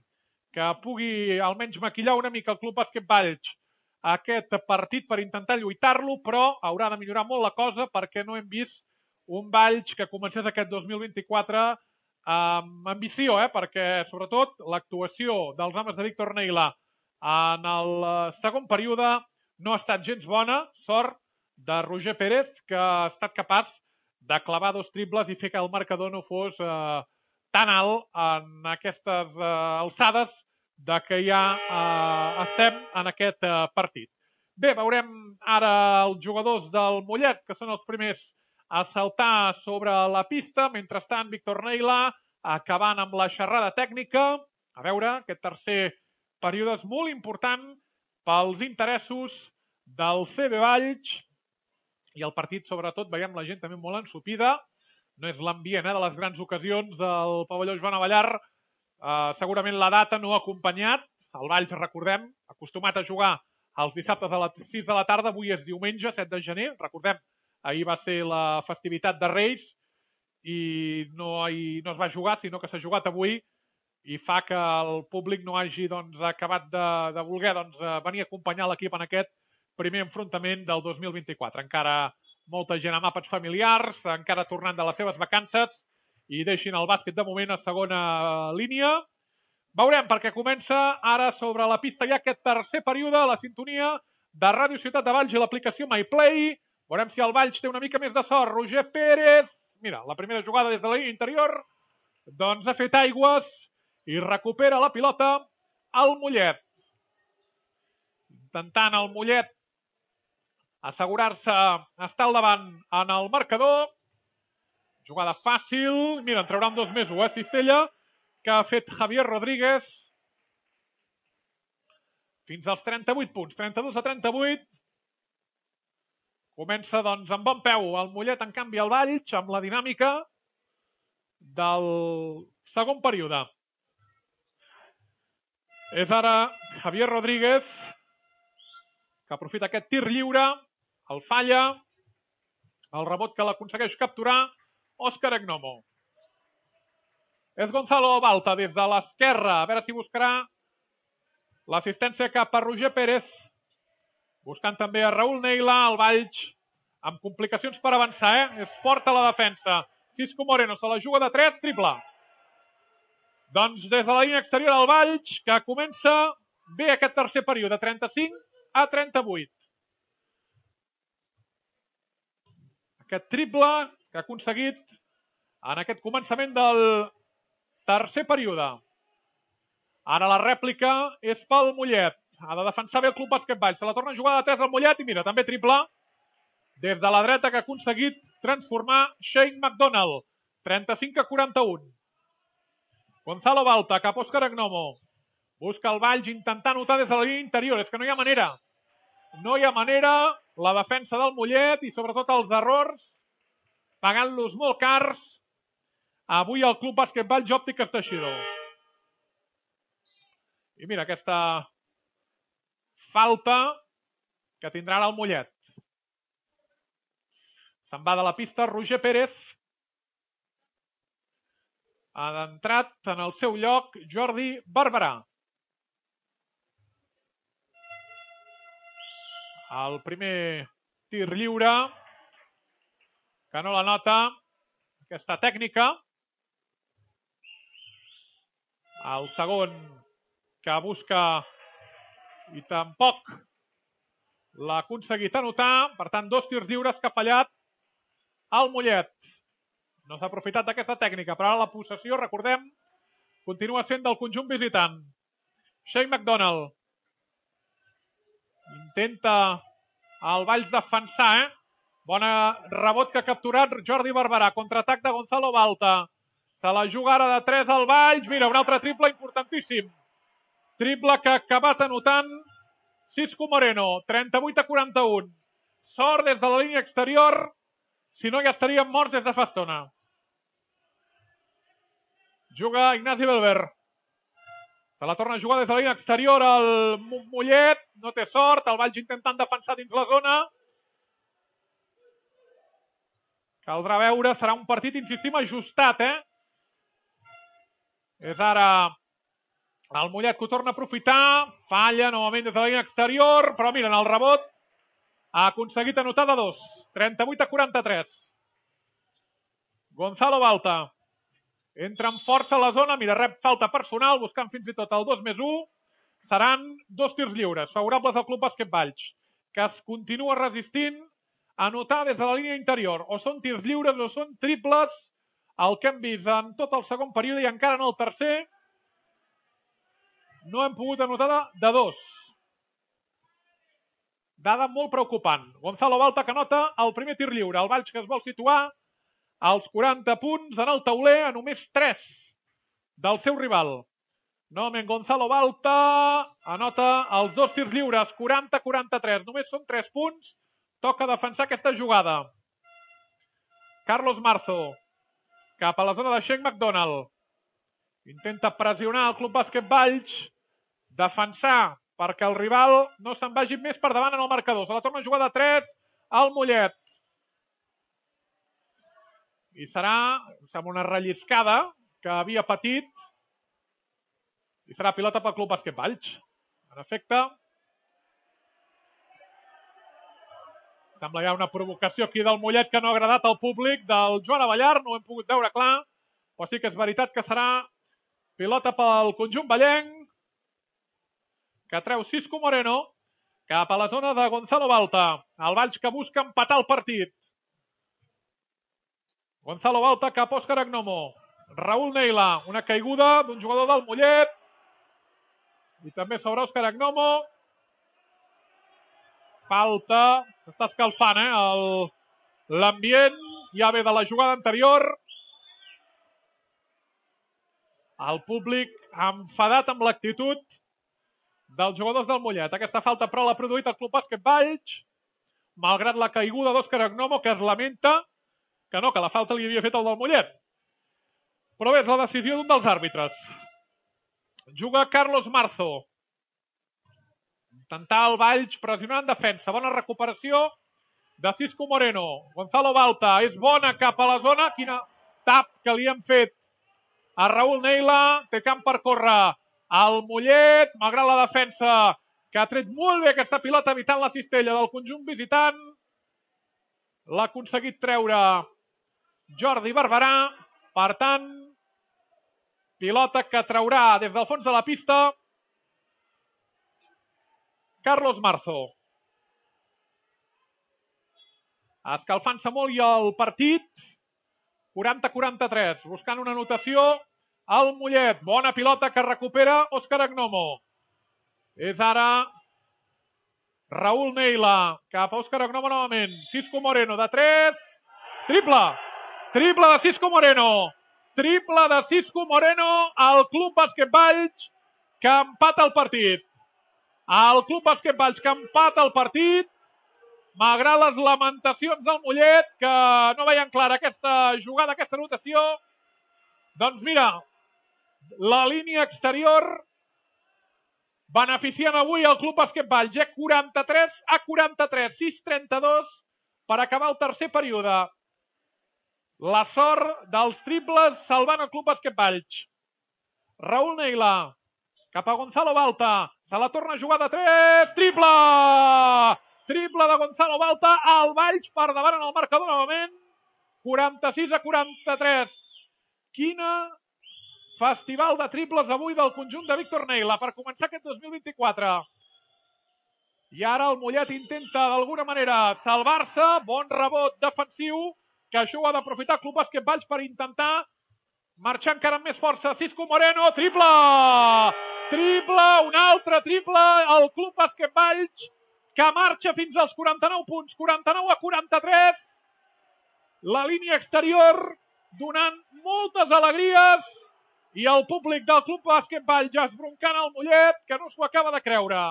que pugui almenys maquillar una mica el Club Bàsquet Valls aquest partit per intentar lluitar-lo, però haurà de millorar molt la cosa perquè no hem vist un Valls que comencés aquest 2024 amb ambició, perquè sobretot l'actuació dels homes de Víctor Neila en el segon període no ha estat gens bona, sort de Roger Pérez, que ha estat capaç de clavar 2 triples i fer que el marcador no fos tan alt en aquestes alçades de que ja estem en aquest partit. Bé, veurem ara els jugadors del Mollet, que són els primers a saltar sobre la pista. Mentrestant, Víctor Neila acabant amb la xerrada tècnica. A veure, aquest tercer període és molt important pels interessos del CB Valls i el partit, sobretot, veiem la gent també molt ensupida. No és l'ambient de les grans ocasions del pavelló Joan Avellar. Segurament la data no ha acompanyat. El Valls, recordem, acostumat a jugar els dissabtes a les 6 de la tarda. Avui és diumenge, 7 de gener. Recordem, ahir va ser la festivitat de Reis i no es va jugar, sinó que s'ha jugat avui i fa que el públic no hagi acabat de voler venir a acompanyar l'equip en aquest primer enfrontament del 2024. Encara molta gent amb àpats familiars, encara tornant de les seves vacances i deixin el bàsquet de moment a segona línia. Veurem, perquè comença ara sobre la pista ja aquest tercer període, la sintonia de Ràdio Ciutat de Valls i l'aplicació MyPlay. Veurem si el Valls té una mica més de sort. Roger Pérez, mira, la primera jugada des de la línia interior, doncs ha fet aigües i recupera la pilota el Mollet. Intentant el Mollet assegurar-se estar al davant en el marcador. Jugada fàcil. Mira, en traurà un 2+1, Cistella, que ha fet Javier Rodríguez. Fins als 38 punts. 32-38. Comença, doncs, amb bon peu el Mollet, en canvi, el Valls, amb la dinàmica del segon període. És ara Javier Rodríguez, que aprofita aquest tir lliure, el falla, el rebot que l'aconsegueix capturar Òscar Agnomo. És Gonzalo Balta des de l'esquerra, a veure si buscarà l'assistència cap a Roger Pérez, buscant també a Raúl Neila, el Valls, amb complicacions per avançar, És forta la defensa. Cisco Moreno se la juga de 3, triple. Doncs des de la línia exterior el Valls, que comença bé aquest tercer període, 35-38. Aquest triple que ha aconseguit en aquest començament del tercer període. Ara la rèplica és pel Mollet. Ha de defensar bé el Club Bàsquet Valls. Se la torna a jugar de 3 al Mollet i mira, també triple des de la dreta que ha aconseguit transformar Shane McDonald. 35-41. Gonzalo Balta cap a Òscar Agnomo. Busca el Valls intentar anotar des de la línia interior. És que no hi ha manera. No hi ha manera. La defensa del Mollet i sobretot els errors, pagant-los molt cars. Avui el Club Bàsquet Valls Òptiques Teixidor. I mira aquesta falta que tindrà ara el Mollet. Se'n va de la pista Roger Pérez. Ha entrat en el seu lloc Jordi Barberà. El primer tir lliure, que no la nota, aquesta tècnica. El segon que busca i tampoc l'ha aconseguit anotar. Per tant, 2 tirs lliures que ha fallat el Mollet. No s'ha aprofitat d'aquesta tècnica, però ara la possessió, recordem, continua sent del conjunt visitant. Shane McDonald. Intenta el Valls defensar, Bona rebot que ha capturat Jordi Barberà. Contraatac de Gonzalo Balta. Se la juga ara de 3 al Valls. Mira, un altre triple importantíssim. Triple que ha acabat anotant Cisco Moreno. 38-41. Sort des de la línia exterior. Si no, ja estaríem morts des de fa estona. Juga Ignasi Belver. Se la torna a jugar des de la línia exterior el Mollet. No té sort. El Valls intentant defensar dins la zona. Caldrà veure. Serà un partit, insistim, ajustat, És ara el Mollet que ho torna a aprofitar. Falla novament des de la línia exterior, però miren, el rebot ha aconseguit anotar de 2. 38-43. Gonzalo Balta entra amb força a la zona, mira, rep falta personal, buscant fins i tot el 2+1. Seran 2 tirs lliures, favorables al Club Bàsquet Valls, que es continua resistint a anotar des de la línia interior. O són tirs lliures o són triples, el que hem vist en tot el segon període i encara en el tercer. No hem pogut anotar de 2. Dada molt preocupant. Gonzalo Balta que anota el primer tir lliure. El Valls que es vol situar als 40 punts en el tauler a només 3 del seu rival. Novament Gonzalo Balta anota els 2 tirs lliures, 40-43. Només són 3 punts. Toca defensar aquesta jugada. Carlos Marzo cap a la zona de Shane McDonald. Intenta pressionar el Club Bàsquet Valls, defensar perquè el rival no se'n vagi més per davant en el marcador. Se la torna a jugar de 3 al Mollet. I serà, sembla una relliscada que havia patit. I serà pilota pel Club Bàsquet Valls. En efecte, sembla ja una provocació aquí del Mollet que no ha agradat al públic del Joan Avellar. No ho hem pogut veure clar, però sí que és veritat que serà pilota pel conjunt vallenc, que treu Cisco Moreno cap a la zona de Gonzalo Balta. El Valls que busca empatar el partit. Gonzalo Balta cap a Òscar Agnomo. Raúl Neila, una caiguda d'un jugador del Mollet. I també sobre Òscar Agnomo. Falta, s'està escalfant l'ambient, ja ve de la jugada anterior. El públic enfadat amb l'actitud dels jugadors del Mollet. Aquesta falta però l'ha produït el Club Bàsquet Valls, malgrat la caiguda d'Òscar Agnomo, que es lamenta que no, que la falta li havia fet el del Mollet. Però bé, és la decisió d'un dels àrbitres. Juga Carlos Marzo. Intentar el Valls pressionar en defensa. Bona recuperació de Cisco Moreno. Gonzalo Balta és bona cap a la zona. Quina tap que li han fet a Raúl Neila. Té camp per córrer el Mollet, malgrat la defensa que ha tret molt bé aquesta pilota evitant la cistella del conjunt visitant. L'ha aconseguit treure Jordi Barberà. Per tant, pilota que traurà des del fons de la pista Carlos Marzo. Escalfant-se molt i el partit. 40-43, buscant una anotació al Mollet. Bona pilota que recupera Òscar Agnomo. És ara Raúl Neila cap a Òscar Agnomo novament. Cisco Moreno de 3. Triple! Triple de Cisco Moreno. Triple de Cisco Moreno al Club Bàsquet Valls, que empata el partit. El Club Bàsquet Valls que empata el partit, malgrat les lamentacions del Mollet, que no veien clara aquesta jugada, aquesta anotació. Doncs mira, la línia exterior beneficiant avui el Club Bàsquet Valls. 43-43, 6-32 per acabar el tercer període. La sort dels triples salvant el Club Bàsquet Valls. Raúl Neila cap a Gonzalo Balta. Se la torna a jugar de 3. Triple! Triple de Gonzalo Balta. El Valls per davant en el marcador novament. 46-43. Quina festival de triples avui del conjunt de Víctor Neila per començar aquest 2024. I ara el Mollet intenta d'alguna manera salvar-se. Bon rebot defensiu, que això ho ha d'aprofitar el Club Bàsquet Valls per intentar marxar encara amb més força. Cisco Moreno, triple! Triple, un altre triple, el Club Bàsquet Valls, que marxa fins als 49 punts, 49-43. La línia exterior donant moltes alegries i el públic del Club Bàsquet Valls ja esbroncant el Mollet, que no s'ho acaba de creure.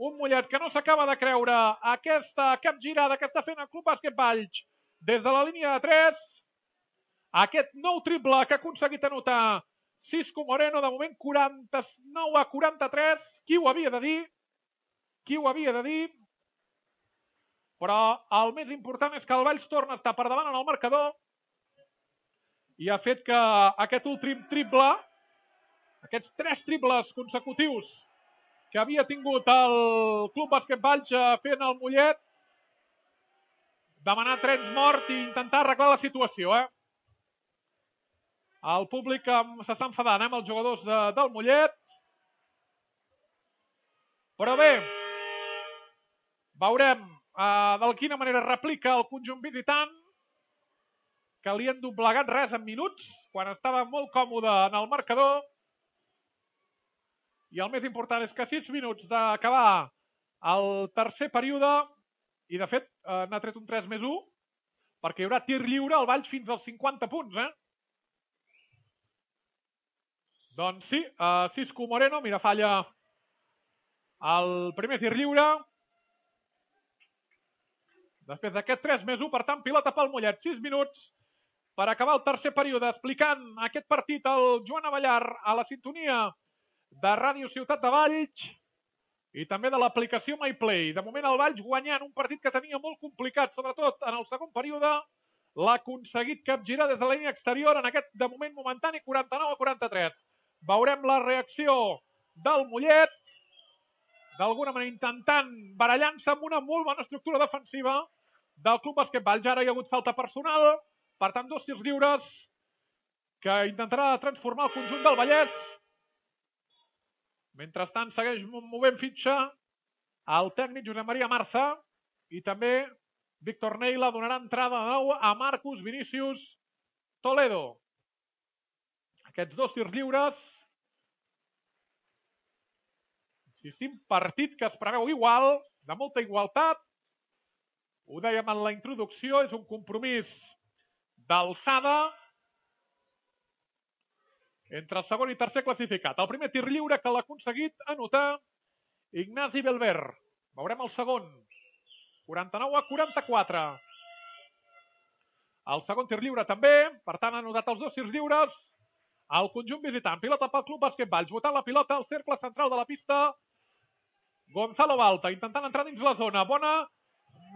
Un Mollet que no s'acaba de creure aquesta capgirada que està fent el Club Bàsquet Valls des de la línia de 3. Aquest nou triple que ha aconseguit anotar Cisco Moreno, de moment 49-43. Qui ho havia de dir? Qui ho havia de dir? Però el més important és que el Valls torna a estar per davant en el marcador i ha fet que aquest últim triple, aquests 3 triples consecutius que havia tingut el Club Bàsquet Valls fent el Mollet, demanar trens mort i intentar arreglar la situació. El públic s'està enfadant amb els jugadors del Mollet. Però bé, veurem de quina manera replica el conjunt visitant, que li han doblegat res en minuts, quan estava molt còmode en el marcador. I el més important és que 6 minuts d'acabar el tercer període, i de fet n'ha tret un 3+1, perquè hi haurà tir lliure al Valls fins als 50 punts. Doncs sí, Cisco Moreno, mira, falla el primer tir lliure. Després d'aquest 3+1, per tant, pilota pel Mollet. 6 minuts per acabar el tercer període, explicant aquest partit el Joan Avellar a la sintonia de Ràdio Ciutat de Valls i també de l'aplicació MyPlay. De moment el Valls guanyant un partit que tenia molt complicat, sobretot en el segon període, l'ha aconseguit capgirar des de la línia exterior en aquest, de moment momentani, 49-43. Veurem la reacció del Mollet, d'alguna manera intentant barallant-se amb una molt bona estructura defensiva del Club Bàsquet Valls. Ara hi ha hagut falta personal, per tant, 2 tirs lliures que intentarà transformar el conjunt del Vallès. Mentrestant, segueix movent fitxa el tècnic Josep Maria Marza i també Víctor Neila donarà entrada de nou a Marcus Vinícius Toledo. Aquests 2 tirs lliures. Insistim, partit que es preveu igual, de molta igualtat. Ho dèiem en la introducció, és un compromís d'alçada entre el segon i tercer classificat. El primer tir lliure que l'ha aconseguit anotar Ignasi Belver. Veurem el segon. 49-44. El segon tir lliure també. Per tant, ha anotat els 2 tirs lliures. El conjunt visitant. Pilota pel Club Bàsquet Valls. Botant la pilota al cercle central de la pista. Gonzalo Balta intentant entrar dins la zona. Bona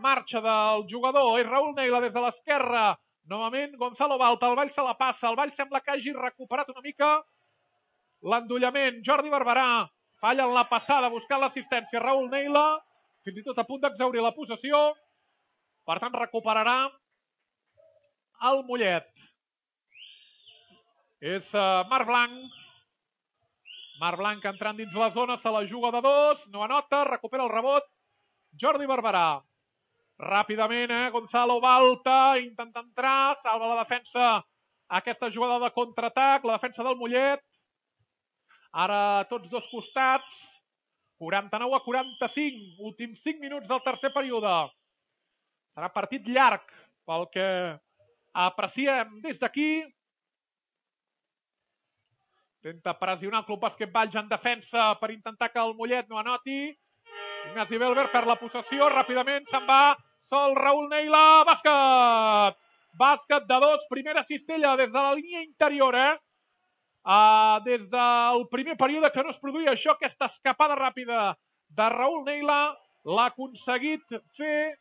marxa del jugador. És Raül Neila des de l'esquerra. Novament, Gonzalo Balta, el Valls se la passa, el Valls sembla que hagi recuperat una mica l'endollament. Jordi Barberà falla en la passada, buscant l'assistència. Raül Neila, fins i tot a punt d'exhaurir la possessió. Per tant, recuperarà el Mollet. És Marc Blanc. Marc Blanc entrant dins la zona, se la juga de 2, no anota, recupera el rebot. Jordi Barberà. Ràpidament, Gonzalo Balta intenta entrar, salva la defensa aquesta jugada de contraatac, la defensa del Mollet. Ara tots dos costats, 49-45, últims 5 minuts del tercer període. Serà partit llarg pel que apreciem des d'aquí. Intenta pressionar el Club Bàsquet Valls en defensa per intentar que el Mollet no anoti. Ignasi Belver perd la possessió, ràpidament se'n va sol Raül Neila, bàsquet! Bàsquet de 2, primera cistella des de la línia interior, des del primer període que no es produïa això, aquesta escapada ràpida de Raül Neila, l'ha aconseguit fer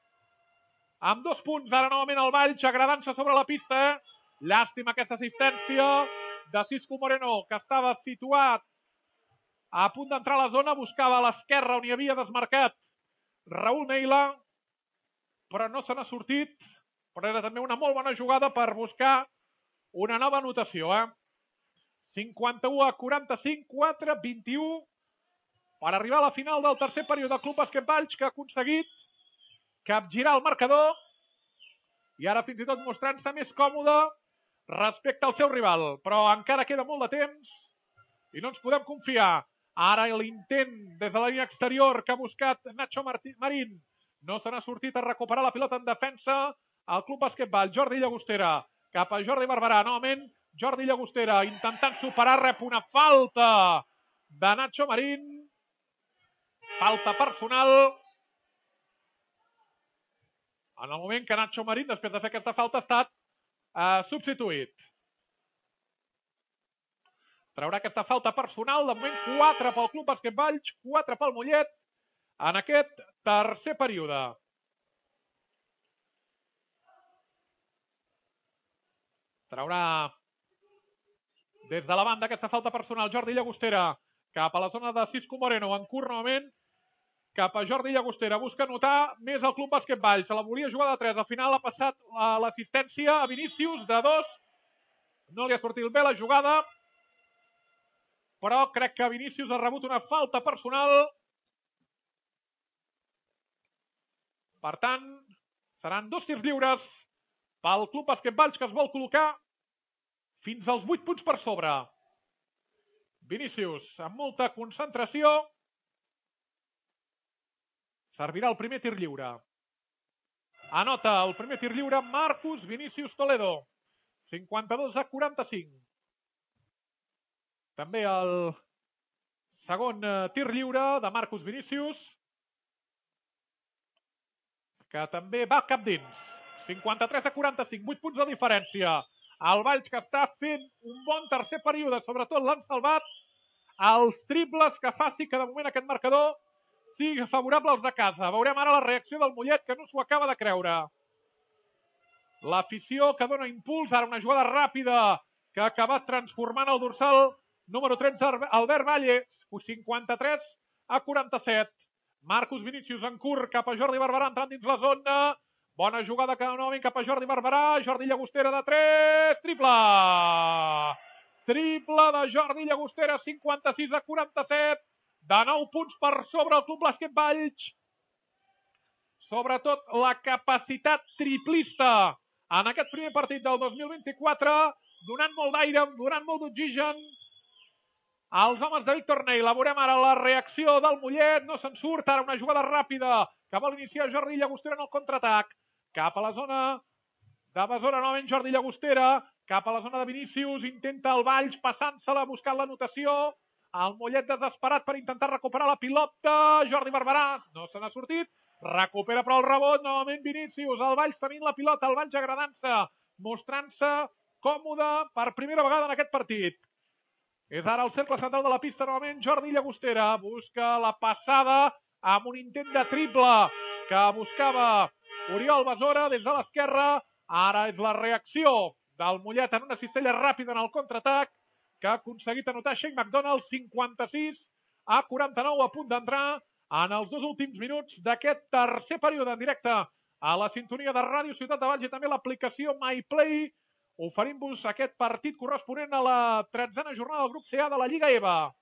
amb 2 punts, ara novament el Valls agradant-se sobre la pista, llàstima aquesta assistència de Cisco Moreno, que estava situat a punt d'entrar a la zona, buscava a l'esquerra on hi havia desmarcat Raül Neila, però no se n'ha sortit, però era també una molt bona jugada per buscar una nova anotació. 51-45, 4-21, per arribar a la final del tercer període del Club Bàsquet Valls, que ha aconseguit capgirar el marcador i ara fins i tot mostrant-se més còmode respecte al seu rival. Però encara queda molt de temps i no ens podem confiar. Ara l'intent des de la línia exterior que ha buscat Nacho Marín. No se n'ha sortit a recuperar la pilota en defensa al Club Bàsquet Valls. Jordi Llagostera cap a Jordi Barberà. Novament Jordi Llagostera intentant superar, rep una falta de Nacho Marín. Falta personal. En el moment que Nacho Marín, després de fer aquesta falta, ha estat substituït. Traurà aquesta falta personal, de moment 4 pel Club Bàsquet Valls, 4 pel Mollet en aquest tercer període. Traurà Des de la banda, aquesta falta personal, Jordi Llagostera, cap a la zona de Cisco Moreno, en curt novament, cap a Jordi Llagostera, busca anotar més el Club Bàsquet Valls, se la volia jugar de 3, al final ha passat l'assistència a Vinícius de 2, no li ha sortit bé la jugada, però crec que Vinícius ha rebut una falta personal. Per tant, seran 2 tirs lliures pel Club Bàsquet Valls, que es vol col·locar fins als 8 punts per sobre. Vinícius, amb molta concentració, servirà el primer tir lliure. Anota el primer tir lliure Marcus Vinícius Toledo, 52-45. També el segon tir lliure de Marcus Vinícius, que també va cap dins. 53-45, 8 punts de diferència. El Valls, que està fent un bon tercer període, sobretot l'han salvat els triples que faci que de moment aquest marcador sigui favorable als de casa. Veurem ara la reacció del Mollet, que no s'ho acaba de creure. L'afició que dona impuls, ara una jugada ràpida que ha acabat transformant el dorsal número 13, Albert Valle, 53-47. Marcus Vinícius en curt cap a Jordi Barberà, entrant dins la zona. Bona jugada que novament cap a Jordi Barberà. Jordi Llagostera de 3. Triple! Triple de Jordi Llagostera, 56-47. De 9 punts per sobre el Club Bàsquet Valls. Sobretot la capacitat triplista en aquest primer partit del 2024, donant molt d'aire, donant molt d'oxigen als homes de Víctor Ney. Veurem ara la reacció del Mollet, no se'n surt, ara una jugada ràpida que vol iniciar Jordi Llagostera en el contraatac. Cap a la zona de Besora, novament Jordi Llagostera, cap a la zona de Vinícius, intenta el Valls passant-se-la, buscant l'anotació. El Mollet desesperat per intentar recuperar la pilota. Jordi Barberà no se n'ha sortit, recupera però el rebot, novament Vinícius, el Valls tenint la pilota, el Valls agradant-se, mostrant-se còmode per primera vegada en aquest partit. És ara el cercle central de la pista, novament Jordi Llagostera, busca la passada amb un intent de triple que buscava Oriol Besora des de l'esquerra. Ara és la reacció del Mollet en una cistella ràpida en el contraatac que ha aconseguit anotar Shane McDonald, 56-49, a punt d'entrar en els 2 últims minuts d'aquest tercer període en directe a la sintonia de Ràdio Ciutat de Valls i també l'aplicació MyPlay, oferint-vos aquest partit corresponent a la 13a jornada del grup CA de la Lliga EVA.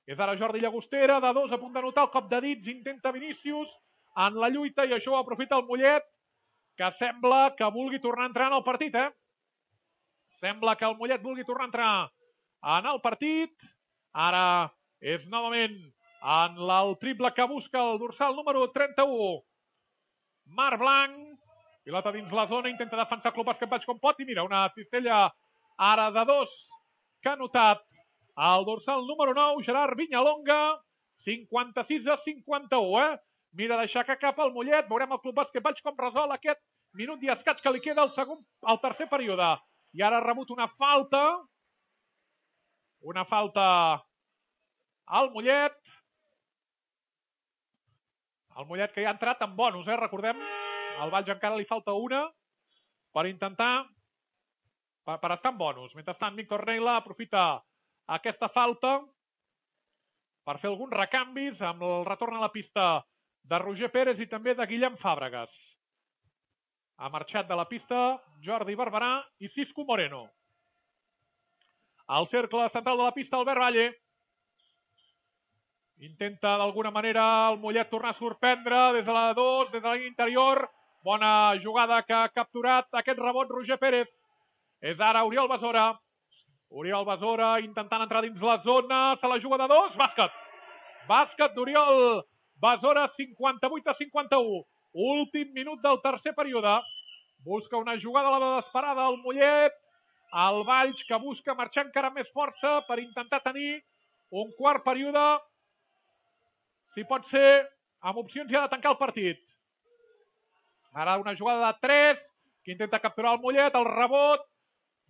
És ara Jordi Llagostera, de 2, a punt d'anotar el cop de dits, intenta Vinícius en la lluita i això ho aprofita el Mollet, que sembla que vulgui tornar a entrar en el partit, Sembla que el Mollet vulgui tornar a entrar en el partit. Ara és novament en el triple que busca el dorsal número 31. Marc Blanc, pilota dins la zona, intenta defensar el Club Bàsquet Valls com pot i mira, una cistella ara de 2 que ha notat el dorsal número 9, Gerard Viñalonga, 56-51, Mira deixar que cap al Mollet, veurem el Club Bàsquet Valls com resol aquest minut i escaig que li queda al tercer període. I ara ha rebut una falta al Mollet. El Mollet que ja ha entrat en bonus, recordem. Al Valls encara li falta una per intentar, per estar en bonus. Mentrestant, Víctor Neila aprofita aquesta falta per fer alguns recanvis amb el retorn a la pista de Roger Pérez i també de Guillem Fàbregas. Ha marxat de la pista Jordi Barberà i Cisco Moreno. Al cercle central de la pista, Albert Valle. Intenta d'alguna manera el Mollet tornar a sorprendre des de la 2, des de la línia interior. Bona jugada que ha capturat aquest rebot Roger Pérez. És ara Oriol Besora. Oriol Besora intentant entrar dins la zona. Se la juga de 2. Bàsquet. Bàsquet d'Oriol Besora, 58-51. Últim minut del tercer període. Busca una jugada a la desesperada al Mollet. El Valls que busca marxar encara més força per intentar tenir un quart període, si pot ser, amb opcions ja de tancar el partit. Ara una jugada de 3 que intenta capturar el Mollet, el rebot.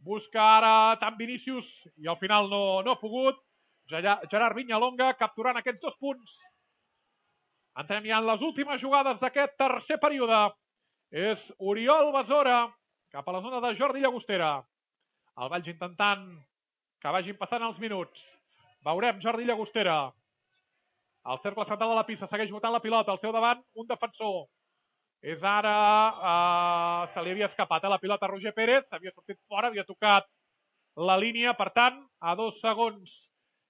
Busca ara tant Vinícius i al final no ha pogut. Gerard Viñalonga capturant aquests 2 punts. Entrem ja en les últimes jugades d'aquest tercer període. És Oriol Besora cap a la zona de Jordi Llagostera. El Valls intentant que vagin passant els minuts. Veurem Jordi Llagostera. El cercle central de la pista segueix botant la pilota. Al seu davant, un defensor. És ara... se li havia escapat la pilota a Roger Pérez. Havia sortit fora, havia tocat la línia. Per tant, a 2 segons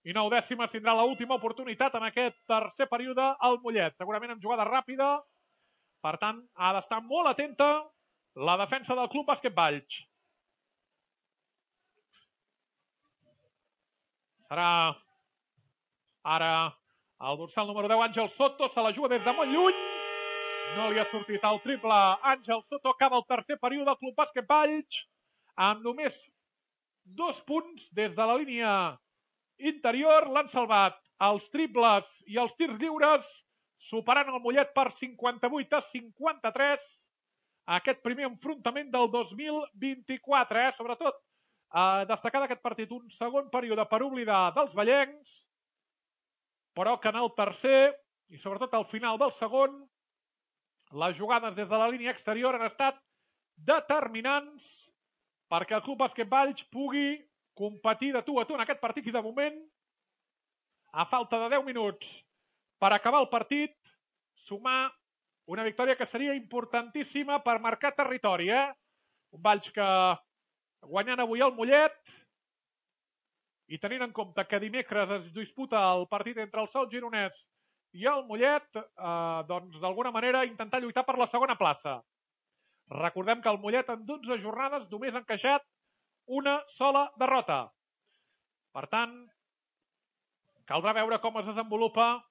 i 9 dècimes tindrà l'última oportunitat en aquest tercer període el Mollet. Segurament amb jugada ràpida. Per tant, ha d'estar molt atenta la defensa del Club Bàsquet Valls. Serà ara el dorsal número 10, Àngel Soto, se la juga des de molt lluny. No li ha sortit el triple. Àngel Soto acaba el tercer període del Club Bàsquet Valls amb només 2 punts des de la línia interior. L'han salvat els triples i els tirs lliures, superant el Mollet per 58-53. Aquest primer enfrontament del 2024. Sobretot destacar d'aquest partit un segon període per oblidar dels vallencs, però que en el tercer i sobretot al final del segon les jugades des de la línia exterior han estat determinants perquè el Club Bàsquet Valls pugui competir de tu a tu en aquest partit. I de moment, a falta de 10 minuts per acabar el partit, sumar una victòria que seria importantíssima per marcar territori. Un Valls que guanyant avui el Mollet i tenint en compte que dimecres es disputa el partit entre el Sol Gironès i el Mollet, doncs d'alguna manera intentar lluitar per la segona plaça. Recordem que el Mollet en 12 jornades només ha encaixat una sola derrota. Per tant, caldrà veure com es desenvolupa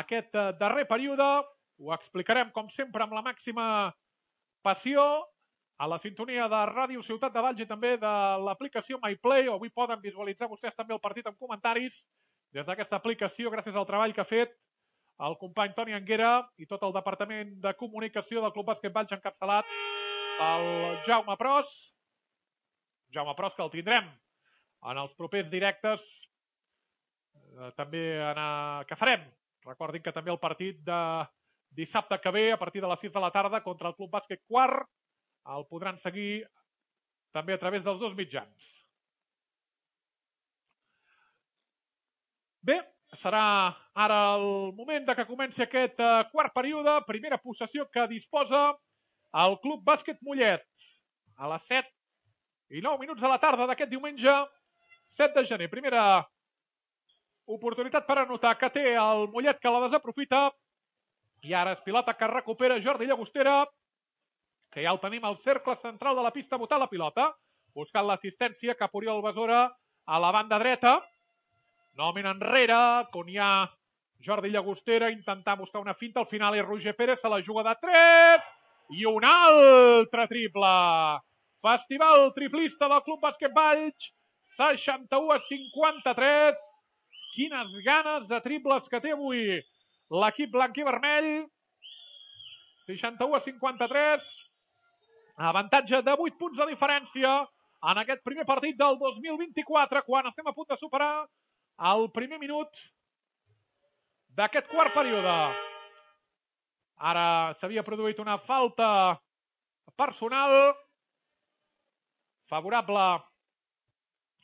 aquest darrer període. Ho explicarem, com sempre, amb la màxima passió a la sintonia de Ràdio Ciutat de Valls i també de l'aplicació MyPlay. Avui poden visualitzar vostès també el partit amb comentaris des d'aquesta aplicació gràcies al treball que ha fet el company Toni Anguera i tot el departament de comunicació del Club Bàsquet Valls encapçalat pel Jaume Pros. Jaume Pros, que el tindrem en els propers directes també que farem. Recordin que també el partit de dissabte que ve a partir de les 6 de la tarda contra el Club Bàsquet Quart el podran seguir també a través dels 2 mitjans. Bé, serà ara el moment de que comenci aquest quart període. Primera possessió que disposa el Club Bàsquet Mollet a les 7 i 9 minuts de la tarda d'aquest diumenge 7 de gener. Primera oportunitat per anotar que té el Mollet, que la desaprofita. I ara és pilota que recupera Jordi Llagostera, que ja el tenim al cercle central de la pista botant la pilota, buscant l'assistència cap a Oriol Besora a la banda dreta. Novament enrere, on hi ha Jordi Llagostera, intentant buscar una finta. Al final és Roger Pérez, se la juga de 3 i un altre triple. Festival triplista del Club Bàsquet Valls, 61-53. Quines ganes de triples que té avui l'equip blanc i vermell. 61-53. Avantatge de 8 punts de diferència en aquest primer partit del 2024, quan estem a punt de superar el primer minut d'aquest quart període. Ara s'havia produït una falta personal favorable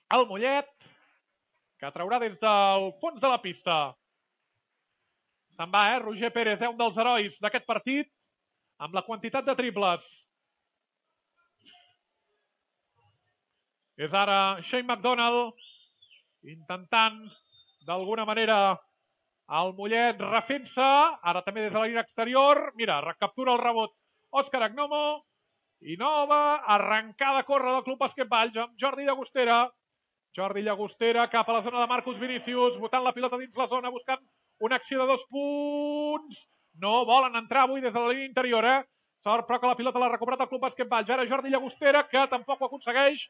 al Mollet, que traurà des del fons de la pista. Se'n va, Roger Pérez, un dels herois d'aquest partit, amb la quantitat de triples. És ara Shane McDonald intentant d'alguna manera el Mollet refent-se, ara també des de la línia exterior. Mira, recaptura el rebot Òscar Agnomo i nova arrencada a córrer del Club Bàsquet Valls amb Jordi Llagostera. Jordi Llagostera cap a la zona de Marcus Vinícius, botant la pilota dins la zona, buscant una acció de 2 punts. No volen entrar avui des de la línia interior, Sort, però que la pilota l'ha recuperat el Club Bàsquet Valls. Ara Jordi Llagostera, que tampoc ho aconsegueix.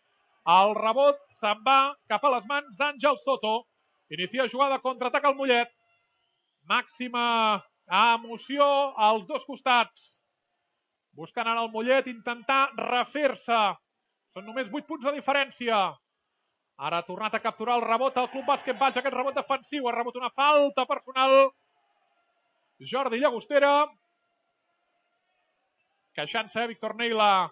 El rebot se'n va cap a les mans d'Àngel Soto. Inicia jugada, contraatac al Mollet. Màxima emoció als dos costats. Buscant ara el Mollet intentar refer-se. Són només 8 punts de diferència. Ara ha tornat a capturar el rebot al Club Bàsquet Valls. Aquest rebot defensiu. Ha rebut una falta personal. Jordi Llagostera. Queixant-se, Víctor Neila.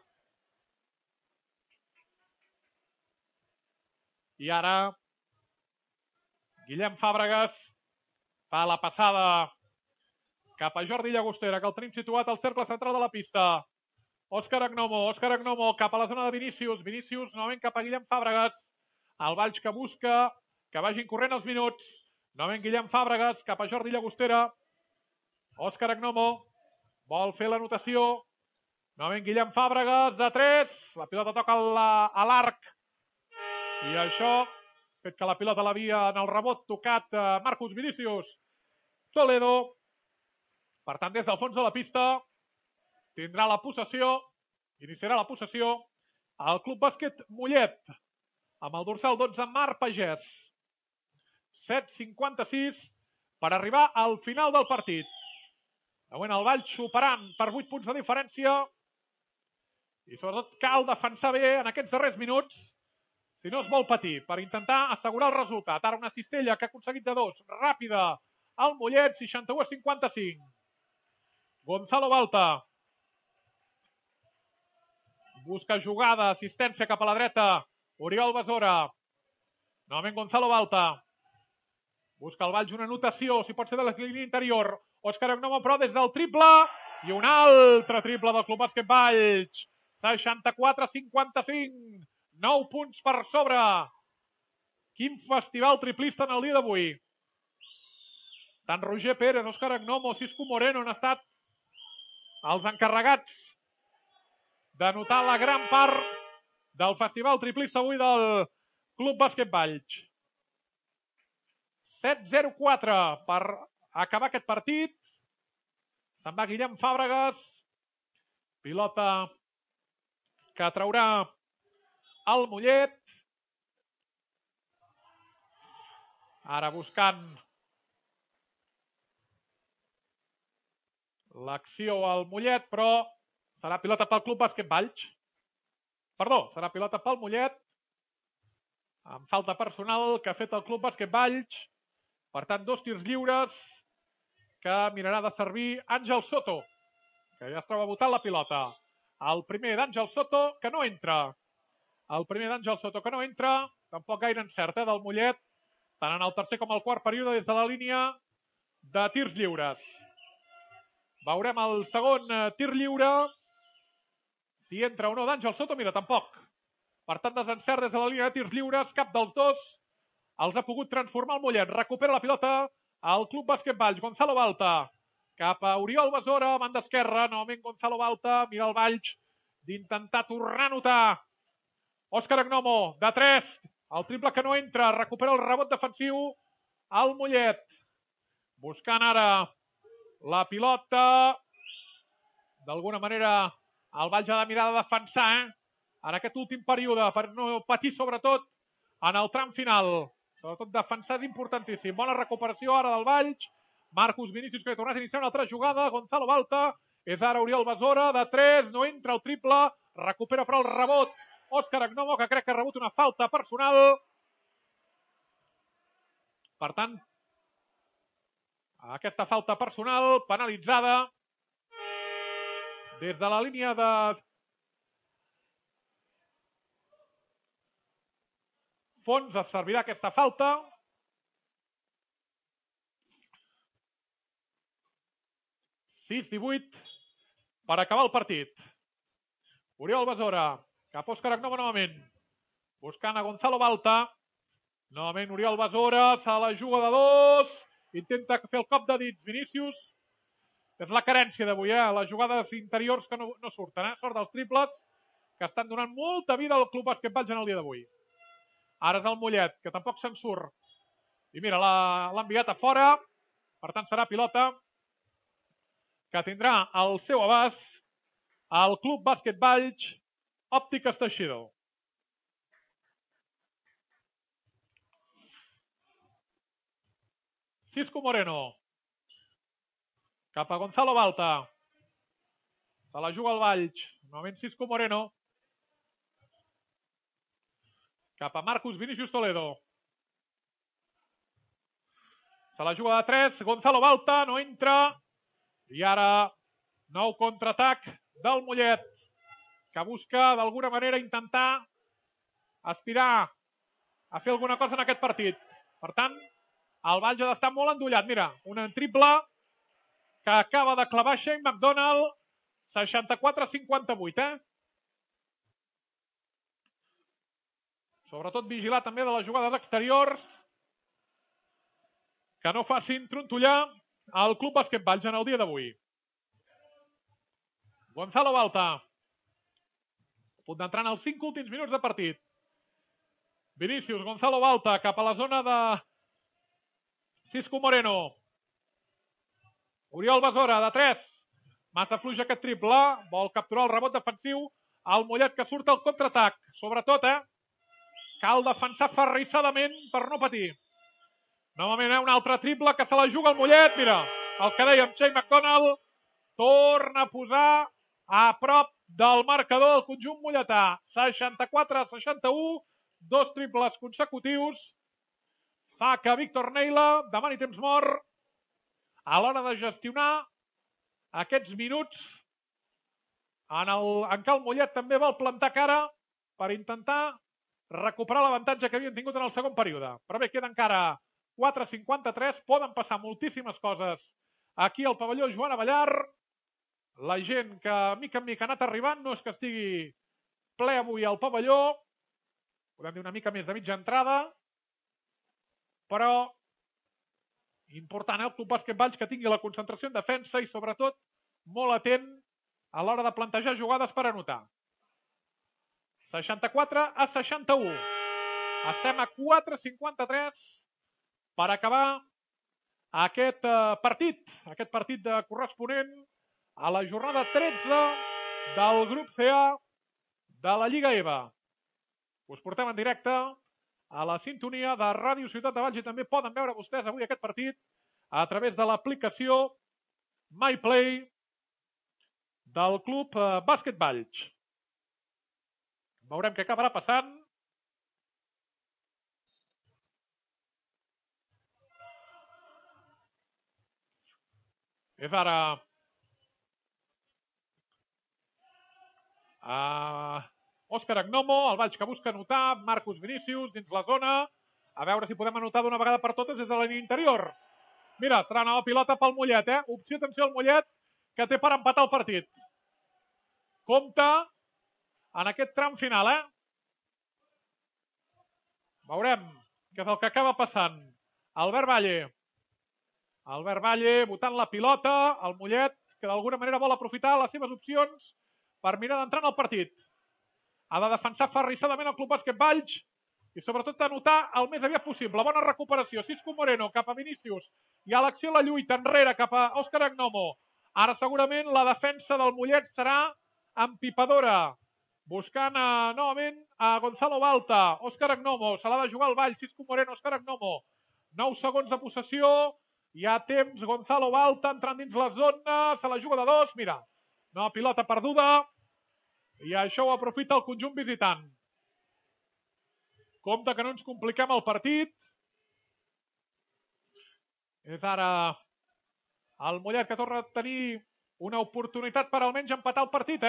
I ara Guillem Fàbregas fa la passada cap a Jordi Llagostera, que el tenim situat al cercle central de la pista. Òscar Agnomo cap a la zona de Vinícius. Vinícius novament cap a Guillem Fàbregas. El Valls que busca que vagin corrent els minuts. Novament Guillem Fàbregas cap a Jordi Llagostera. Òscar Agnomo vol fer l'anotació. Novament Guillem Fàbregas de 3. La pilota toca a l'arc. I això fet que la pilota l'havia en el rebot tocat Marcus Vinícius Toledo. Per tant, des del fons de la pista tindrà la possessió, iniciarà la possessió el Club Bàsquet Mollet, amb el dorsal 12 Marc Pagès. 7:56 per arribar al final del partit. De moment el Valls superant per 8 punts de diferència i sobretot cal defensar bé en aquests darrers minuts si no es vol patir per intentar assegurar el resultat. Ara una cistella que ha aconseguit de 2, ràpida al Mollet, 61-55. Gonzalo Balta busca jugada, assistència cap a la dreta. Oriol Besora. Novament Gonzalo Balta. Busca el Valls una anotació, si pot ser de la línia interior. Òscar Agnomo, però des del triple. I un altre triple del Club Bàsquet Valls. 64-55. 9 punts per sobre. Quin festival triplista en el dia d'avui. Tant Roger Pérez, Òscar Agnomo, Cisco Moreno han estat els encarregats de notar la gran part del festival triplista avui del Club Bàsquet Valls. 7-0-4 per acabar aquest partit. Se'n va Guillem Fàbregas. Pilota que traurà el Mollet. Ara buscant l'acció al Mollet, però serà pilota pel Club Bàsquet Valls. Perdó, serà pilota pel Mollet. Amb falta personal que ha fet el Club Bàsquet Valls. Per tant, 2 tirs lliures que mirarà de servir Àngel Soto, que ja es troba votant la pilota. El primer d'Àngel Soto, que no entra. Tampoc gaire encert del Mollet, tant en el tercer com el quart període des de la línia de tirs lliures. Veurem el segon tir lliure. Si entra o no d'Àngel Soto, mira, tampoc. Per tant, desencert des de la línia de tirs lliures, cap dels dos els ha pogut transformar el Mollet. Recupera la pilota al Club Bàsquet Valls. Gonzalo Balta cap a Oriol Besora, banda esquerra. Novament Gonzalo Balta, mira el Valls d'intentar tornar a notar. Òscar Agnomo, de 3. El triple que no entra. Recupera el rebot defensiu al Mollet. Buscant ara la pilota. D'alguna manera el Valls ha de mirar de defensar en aquest últim període per no patir sobretot en el tram final. Sobretot defensar és importantíssim. Bona recuperació ara del Valls. Marcus Vinícius que ha tornat a iniciar una altra jugada. Gonzalo Balta. És ara Oriol Besora de 3. No entra el triple. Recupera però el rebot Òscar Agnomo, que crec que ha rebut una falta personal. Per tant, aquesta falta personal penalitzada des de la línia de fons es servirà aquesta falta. (6-18) per acabar el partit. Oriol Besora cap a Òscar Agnomo novament. Buscant a Gonzalo Balta. Novament Oriol Besora, se la juga de 2. Intenta fer el cop de dits Vinícius. És la carència d'avui, les jugades interiors que no surten. Sort dels triples que estan donant molta vida al Club Bàsquet Valls en el dia d'avui. Ara és el Mollet, que tampoc se'n surt. I mira, l'ha enviat a fora. Per tant, serà pilota que tindrà al seu abast el Club Bàsquet Valls Òptiques Teixidor. Cisco Moreno. Cap a Gonzalo Balta. Se la juga el Valls. Novament Cisco Moreno. Cap a Marcus Vinícius Toledo. Se la juga de 3. Gonzalo Balta no entra. I ara nou contraatac del Mollet, que busca d'alguna manera intentar aspirar a fer alguna cosa en aquest partit. Per tant, El Valls ha d'estar molt endollat. Mira, un triple que acaba de clavar Shane McDonald. 64-58, Sobretot vigilar també de les jugades exteriors que no facin trontollar el Club Bàsquet Valls en el dia d'avui. Gonzalo Balta. A punt d'entrar en els 5 últims minuts de partit. Vinícius, Gonzalo Balta cap a la zona de Cisco Moreno. Oriol Besora, de 3. Massa fluix aquest triple. Vol capturar el rebot defensiu. El Mollet que surt al contraatac. Sobretot, cal defensar ferrissadament per no patir. Novament, un altre triple que se la juga el Mollet. Mira, el que dèiem, Shane McDonald torna a posar a prop del marcador del conjunt molletà. 64-61, 2 triples consecutius. Saca Víctor Neila, demani temps mort a l'hora de gestionar aquests minuts en què el Mollet també vol plantar cara per intentar recuperar l'avantatge que havien tingut en el segon període. Però bé, queda encara 4:53, poden passar moltíssimes coses aquí al pavelló Joan Abellar. La gent que mica en mica ha anat arribant, no és que estigui ple avui al pavelló, podem dir una mica més de mitja entrada, però important, el Club Bàsquet Valls que tingui la concentració en defensa i sobretot molt atent a l'hora de plantejar jugades per anotar. 64-61. Estem a 4:53 per acabar aquest partit de corresponent a la jornada 13 del grup CA de la Lliga EVA. Us portem en directe a la sintonia de Ràdio Ciutat de Valls i també poden veure vostès avui aquest partit a través de l'aplicació MyPlay del Club Bàsquet Valls. Veurem què acabarà passant. És ara Òscar Agnomo, el Valls que busca anotar, Marcus Vinícius dins la zona, a veure si podem anotar d'una vegada per totes des de la línia interior. Mira, serà una pilota pel Mollet, Opció, atenció al Mollet, que té per empatar el partit. Compte en aquest tram final, Veurem què és el que acaba passant. Albert Valle botant la pilota, el Mollet, que d'alguna manera vol aprofitar les seves opcions per mirar d'entrar en el partit. Ha de defensar ferrissadament el Club Bàsquet Valls i sobretot anotar el més aviat possible. Bona recuperació. Cisco Moreno cap a Vinícius i a l'acció la lluita enrere cap a Òscar Agnomo. Ara segurament la defensa del Mollet serà empipadora. Buscant novament a Gonzalo Balta. Òscar Agnomo. Se l'ha de jugar el Valls. Cisco Moreno, Òscar Agnomo. 9 segons de possessió. Hi ha temps. Gonzalo Balta entrant dins la zona. Se la juga de 2. Mira. Nova pilota perduda. I això ho aprofita el conjunt visitant. Compte que no ens compliquem el partit. És ara el Mollet que torna a tenir una oportunitat per almenys empatar el partit,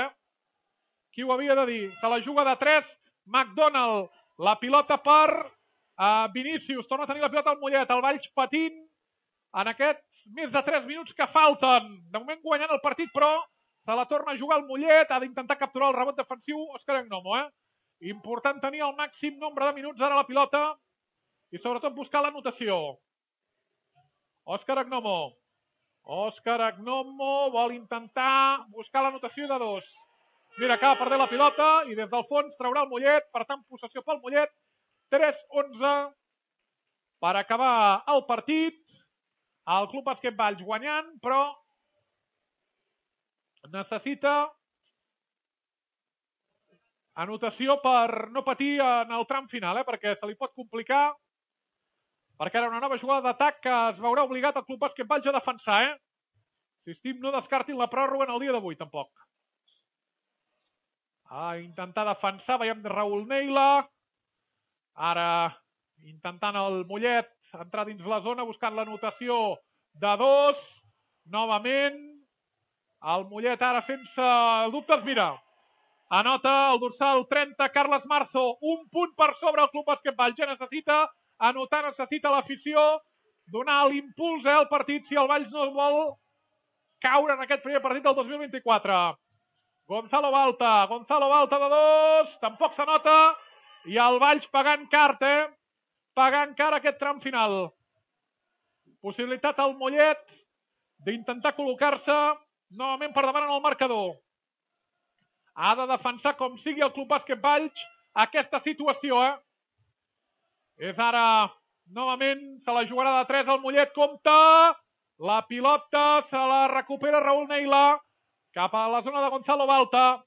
Qui ho havia de dir? Se la juga de 3. McDonald. La pilota per Vinícius. Torna a tenir la pilota al Mollet. El Valls patint en aquests més de 3 minuts que falten. De moment guanyant el partit, però se la torna a jugar el Mollet. Ha d'intentar capturar el rebot defensiu Òscar Agnomo, Important tenir el màxim nombre de minuts ara a la pilota i sobretot buscar l'anotació. Òscar Agnomo vol intentar buscar l'anotació de 2. Mira, acaba perdent la pilota i des del fons traurà el Mollet, per tant possessió pel Mollet. 3-11 per acabar el partit. El Club Bàsquet Valls guanyant, però necessita anotació per no patir en el tram final, perquè se li pot complicar, perquè era una nova jugada d'atac que es veurà obligat el Club Bàsquet Valls a defensar, Insistim, no descartin la pròrroga en el dia d'avui, tampoc. A intentar defensar, veiem de Raül Neila. Ara intentant el Mollet entrar dins la zona, buscant l'anotació de 2. Novament, el Mollet ara fent-se dubtes, mira. Anota el dorsal 30, Carles Marzo. Un punt per sobre el Club Bàsquet Valls. Ja necessita anotar, necessita l'afició donar l'impuls al partit si el Valls no vol caure en aquest primer partit del 2024. Gonzalo Balta de 2, tampoc s'anota, i el Valls pagant car, pagant car aquest tram final. Possibilitat al Mollet d'intentar col·locar-se novament per davant en el marcador. Ha de defensar com sigui el Club Bàsquet Valls aquesta situació. És ara, novament, se la jugarà de 3 al Mollet, compta. La pilota se la recupera Raül Neila cap a la zona de Gonzalo Balta.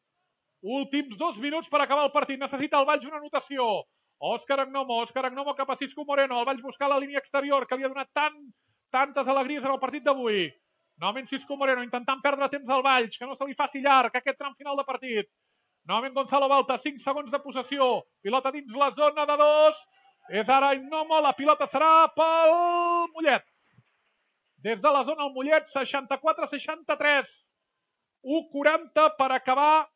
Últims 2 minuts per acabar el partit. Necessita el Valls una anotació. Òscar Agnomo cap a Cisco Moreno. El Valls buscar la línia exterior que li ha donat tantes alegries en el partit d'avui. Novament Cisco Moreno intentant perdre temps al Valls, que no se li faci llarg aquest tram final de partit. Novament Gonzalo Balta, 5 segons de possessió. Pilota dins la zona de 2. És ara Agnomo, la pilota serà pel Mollet. Des de la zona el Mollet, 64-63. 1:40 per acabar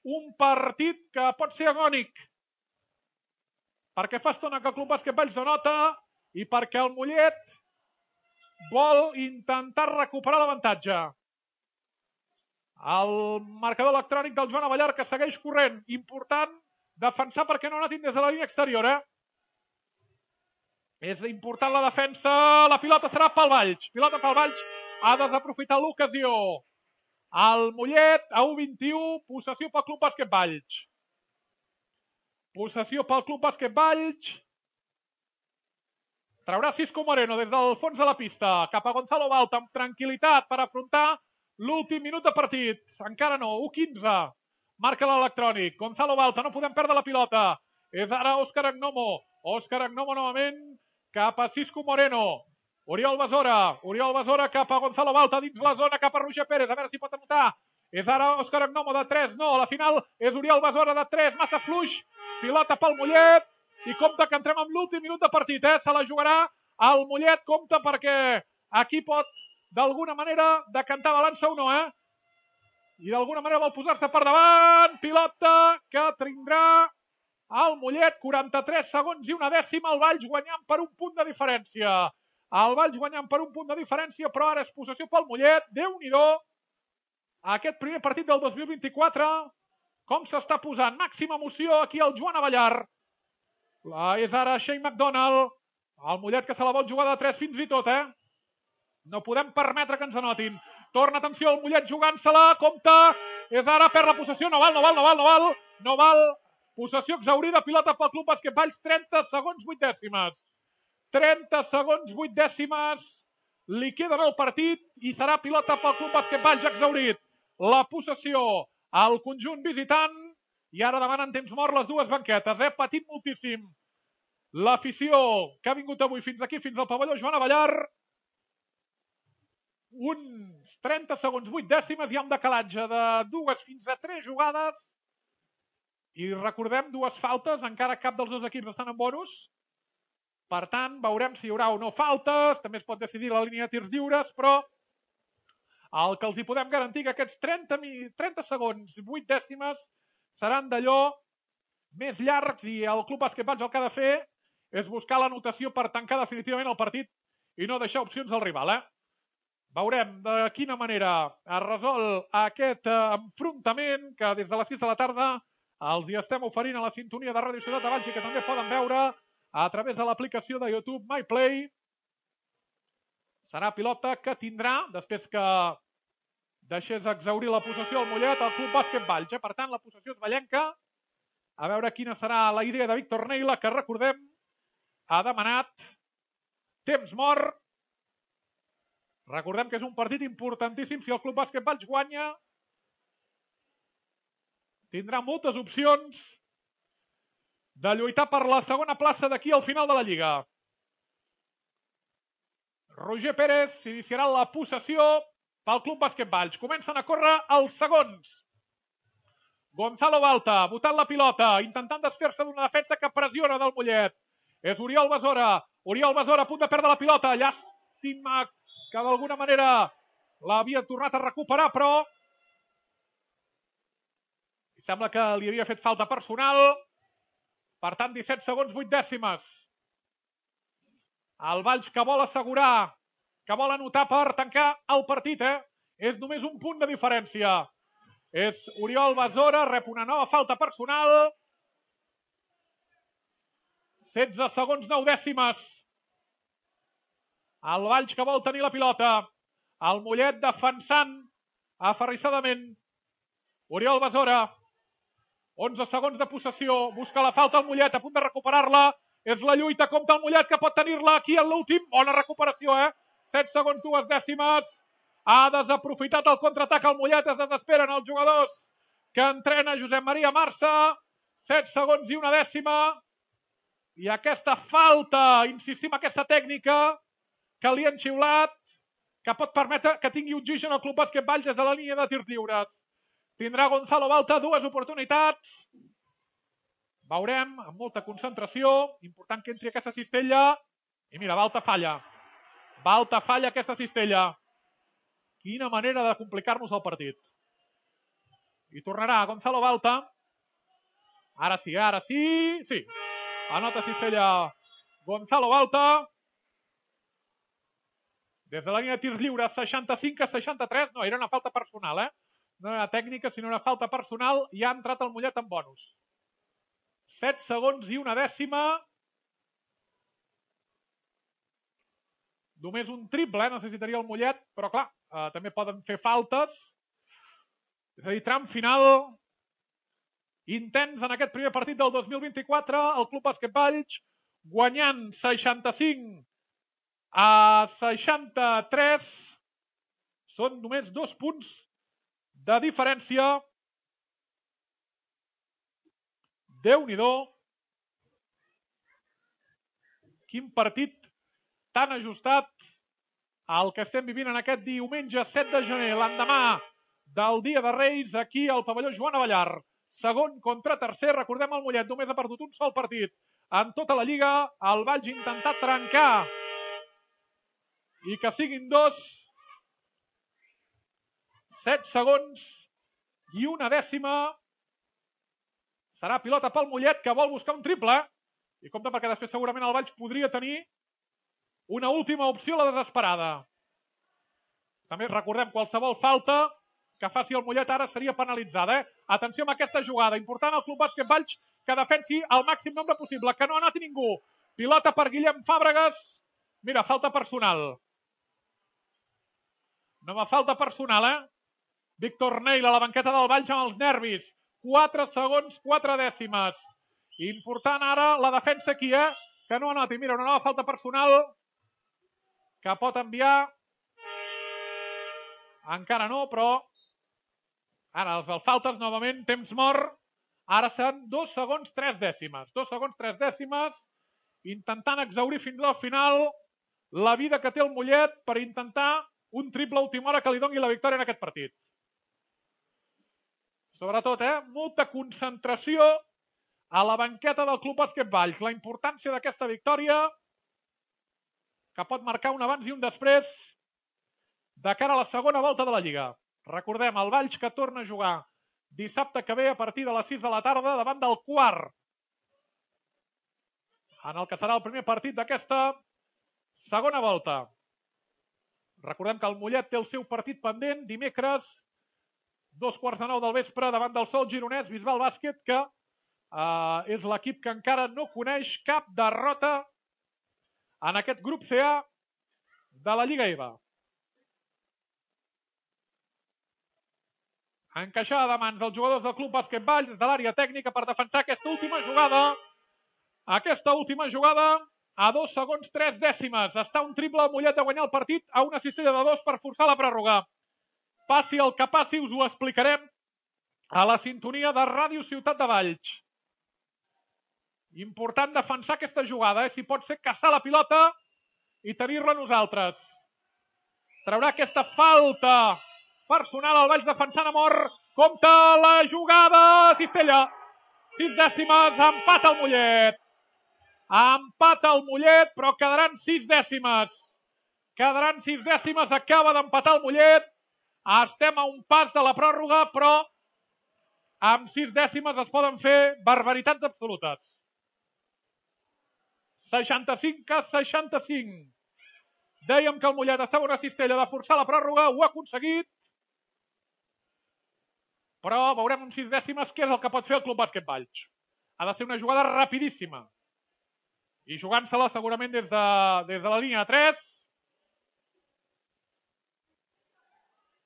un partit que pot ser agònic. Perquè fa estona que el Club Bàsquet Valls no nota i perquè el Mollet vol intentar recuperar l'avantatge. El marcador electrònic del Joan Avellar que segueix corrent. Important defensar perquè no notin des de la línia exterior. És important la defensa. La pilota serà pel Valls. Pilota pel Valls. Ha desaprofitat l'ocasió. El Mollet a 1:21. Possessió pel Club Bàsquet Valls. Possessió pel Club Bàsquet Valls. Traurà Cisco Moreno des del fons de la pista cap a Gonzalo Balta amb tranquil·litat per afrontar l'últim minut de partit. Encara no, 1:15. Marca l'electrònic. Gonzalo Balta, no podem perdre la pilota. És ara Òscar Agnomo. Òscar Agnomo novament cap a Cisco Moreno. Oriol Besora cap a Gonzalo Balta dins la zona cap a Roger Pérez. A veure si pot anotar. És ara Òscar Agnomo de 3. No, a la final és Oriol Besora de 3. Massa fluix. Pilota pel Mollet. I compte que entrem amb l'últim minut de partit. Se la jugarà el Mollet. Compte perquè aquí pot d'alguna manera decantar balança o no. I d'alguna manera vol posar-se per davant. Pilota que tindrà el Mollet. 43 segons i una dècima. El Valls guanyant per un punt de diferència. Però ara és possessió pel Mollet. Déu-n'hi-do. Aquest primer partit del 2024. Com s'està posant. Màxima emoció aquí al Joan Avellar. És ara Shane McDonald. El Mollet que se la vol jugar de 3 fins i tot. No podem permetre que ens anotin. Torna, atenció, el Mollet jugant-se-la. Compte. És ara, perd la possessió. No val. Possessió exhaurida. Pilota pel Club Bàsquet Valls. 30 segons, 8 dècimes. 30 segons, 8 dècimes. Li queda el partit i serà pilota pel Club Bàsquet Valls exhaurit. La possessió al conjunt visitant. I ara demanen temps mort les dues banquetes. Patint moltíssim l'afició que ha vingut avui fins aquí, fins al pavelló Joan Avellar. Uns 30 segons, 8 dècimes. Hi ha un decalatge de 2 fins a 3 jugades. I recordem, 2 faltes. Encara cap dels 2 equips estan en bonus. Per tant, veurem si hi haurà o no faltes. També es pot decidir la línia de tirs lliures, però el que els hi podem garantir que aquests 30 segons, 8 dècimes seran d'allò més llargs i el Club Bàsquet Valls el que ha de fer és buscar l'anotació per tancar definitivament el partit i no deixar opcions al rival. Veurem de quina manera es resol aquest enfrontament que des de les 6 de la tarda els hi estem oferint a la sintonia de Ràdio Ciutat de Valls i que també poden veure a través de l'aplicació de YouTube MyPlay. Serà pilota que tindrà, després que deixés exhaurir la possessió al Mollet, el Club Bàsquet Valls. Per tant, la possessió és vallenca. A veure quina serà la idea de Víctor Neila, que recordem, ha demanat temps mort. Recordem que és un partit importantíssim. Si el Club Bàsquet Valls guanya, tindrà moltes opcions de lluitar per la segona plaça d'aquí al final de la Lliga. Roger Pérez iniciarà la possessió pel Club Bàsquet Valls. Comencen a córrer els segons. Gonzalo Balta, botant la pilota, intentant desfer-se d'una defensa que pressiona del Mollet. És Oriol Besora. A punt de perdre la pilota. Llàstima que d'alguna manera l'havia tornat a recuperar, però sembla que li havia fet falta personal. Per tant, 17 segons, 8 dècimes. El Valls que vol assegurar, que vol anotar per tancar el partit, És només un punt de diferència. És Oriol Besora, rep una nova falta personal. 16 segons 9 dècimes. El Valls que vol tenir la pilota. El Mollet defensant aferrissadament. Oriol Besora. 11 segons de possessió. Busca la falta el Mollet, a punt de recuperar-la. És la lluita contra el Mollet que pot tenir-la aquí en l'últim. Bona recuperació, 7 segons 2 dècimes. Ha desaprofitat el contraatac al Mollet. Es desesperen els jugadors que entrena Josep Maria Marça. 7 segons i 1 dècima. I aquesta falta, insistim, aquesta tècnica que li han xiulat, que pot permetre que tingui oxigen el Club Bàsquet Valls des de la línia de tirs lliures. Tindrà Gonzalo Balta 2 oportunitats. Veurem, amb molta concentració. Important que entri aquesta cistella. I mira, Balta falla. Balta falla aquesta cistella. Quina manera de complicar-nos el partit. I tornarà Gonzalo Balta. Ara sí. Sí. Anota cistella Gonzalo Balta. Des de la línia de tirs lliures, 65-63. No, era una falta personal, No era tècnica, sinó una falta personal. I ha entrat el Mollet en bonus. 7 segons i 1 dècima. Només un triple, necessitaria el Mollet, però clar, també poden fer faltes. És a dir, tram final intens en aquest primer partit del 2024. El Club Bàsquet Valls guanyant 65-63. Són només 2 punts de diferència. Déu-n'hi-do. Quin partit tan ajustat al que estem vivint en aquest diumenge 7 de gener, l'endemà del Dia de Reis, aquí al pavelló Joan Avellar. Segon contra tercer, recordem el Mollet, només ha perdut un sol partit en tota la Lliga. El Valls intentar trencar i que siguin 2. 7 segons i 1 dècima. Serà pilota pel Mollet, que vol buscar un triple. I compte perquè després segurament el Valls podria tenir una última opció, la desesperada. També recordem, qualsevol falta que faci el Mollet ara seria penalitzada. Atenció amb aquesta jugada. Important el Club Bàsquet Valls que defensi el màxim nombre possible, que no anoti ningú. Pilota per Guillem Fàbregas. Mira, falta personal. Nova falta personal, Víctor Neil a la banqueta del Valls amb els nervis. 4 segons, 4 dècimes. Important ara la defensa aquí, que no anoti. Mira, una nova falta personal que pot enviar. Encara no, però ara els faltes novament, temps mort. Ara seran 2 segons 3 dècimes. 2 segons 3 dècimes, intentant exhaurir fins al final la vida que té el Mollet per intentar un triple a última hora que li doni la victòria en aquest partit. Sobretot, molta concentració a la banqueta del Club Bàsquet Valls. La importància d'aquesta victòria que pot marcar un abans i un després de cara a la segona volta de la Lliga. Recordem, el Valls que torna a jugar dissabte que ve a partir de les 6 de la tarda davant del Quart, en el que serà el primer partit d'aquesta segona volta. Recordem que el Mollet té el seu partit pendent dimecres, 2:45 del vespre, davant del Sol Gironès Bisbal Bàsquet, que és l'equip que encara no coneix cap derrota en aquest grup CA de la Lliga EVA. Encaixada de mans els jugadors del Club Bàsquet Valls des de l'àrea tècnica per defensar aquesta última jugada. Aquesta última jugada a 2 segons 3 dècimes. Està un triple al Mollet de guanyar el partit a una cistella de 2 per forçar la pròrroga. Passi el que passi, us ho explicarem a la sintonia de Ràdio Ciutat de Valls. Important defensar aquesta jugada, si pot ser caçar la pilota i tenir-la nosaltres. Traurà aquesta falta personal al Valls defensant a mort. Compte la jugada, cistella. 6 dècimes, empat al Mollet. Empat al Mollet, però quedaran 6 dècimes. Quedaran 6 dècimes, acaba d'empatar el Mollet. Estem a un pas de la pròrroga, però amb 6 dècimes es poden fer barbaritats absolutes. 65-65. Dèiem que el Mollet estava una cistella de forçar la pròrroga, ho ha aconseguit. Però veurem un 6 dècimes què és el que pot fer el Club Bàsquet Valls. Ha de ser una jugada rapidíssima. I jugant-se-la segurament des de la línia de 3.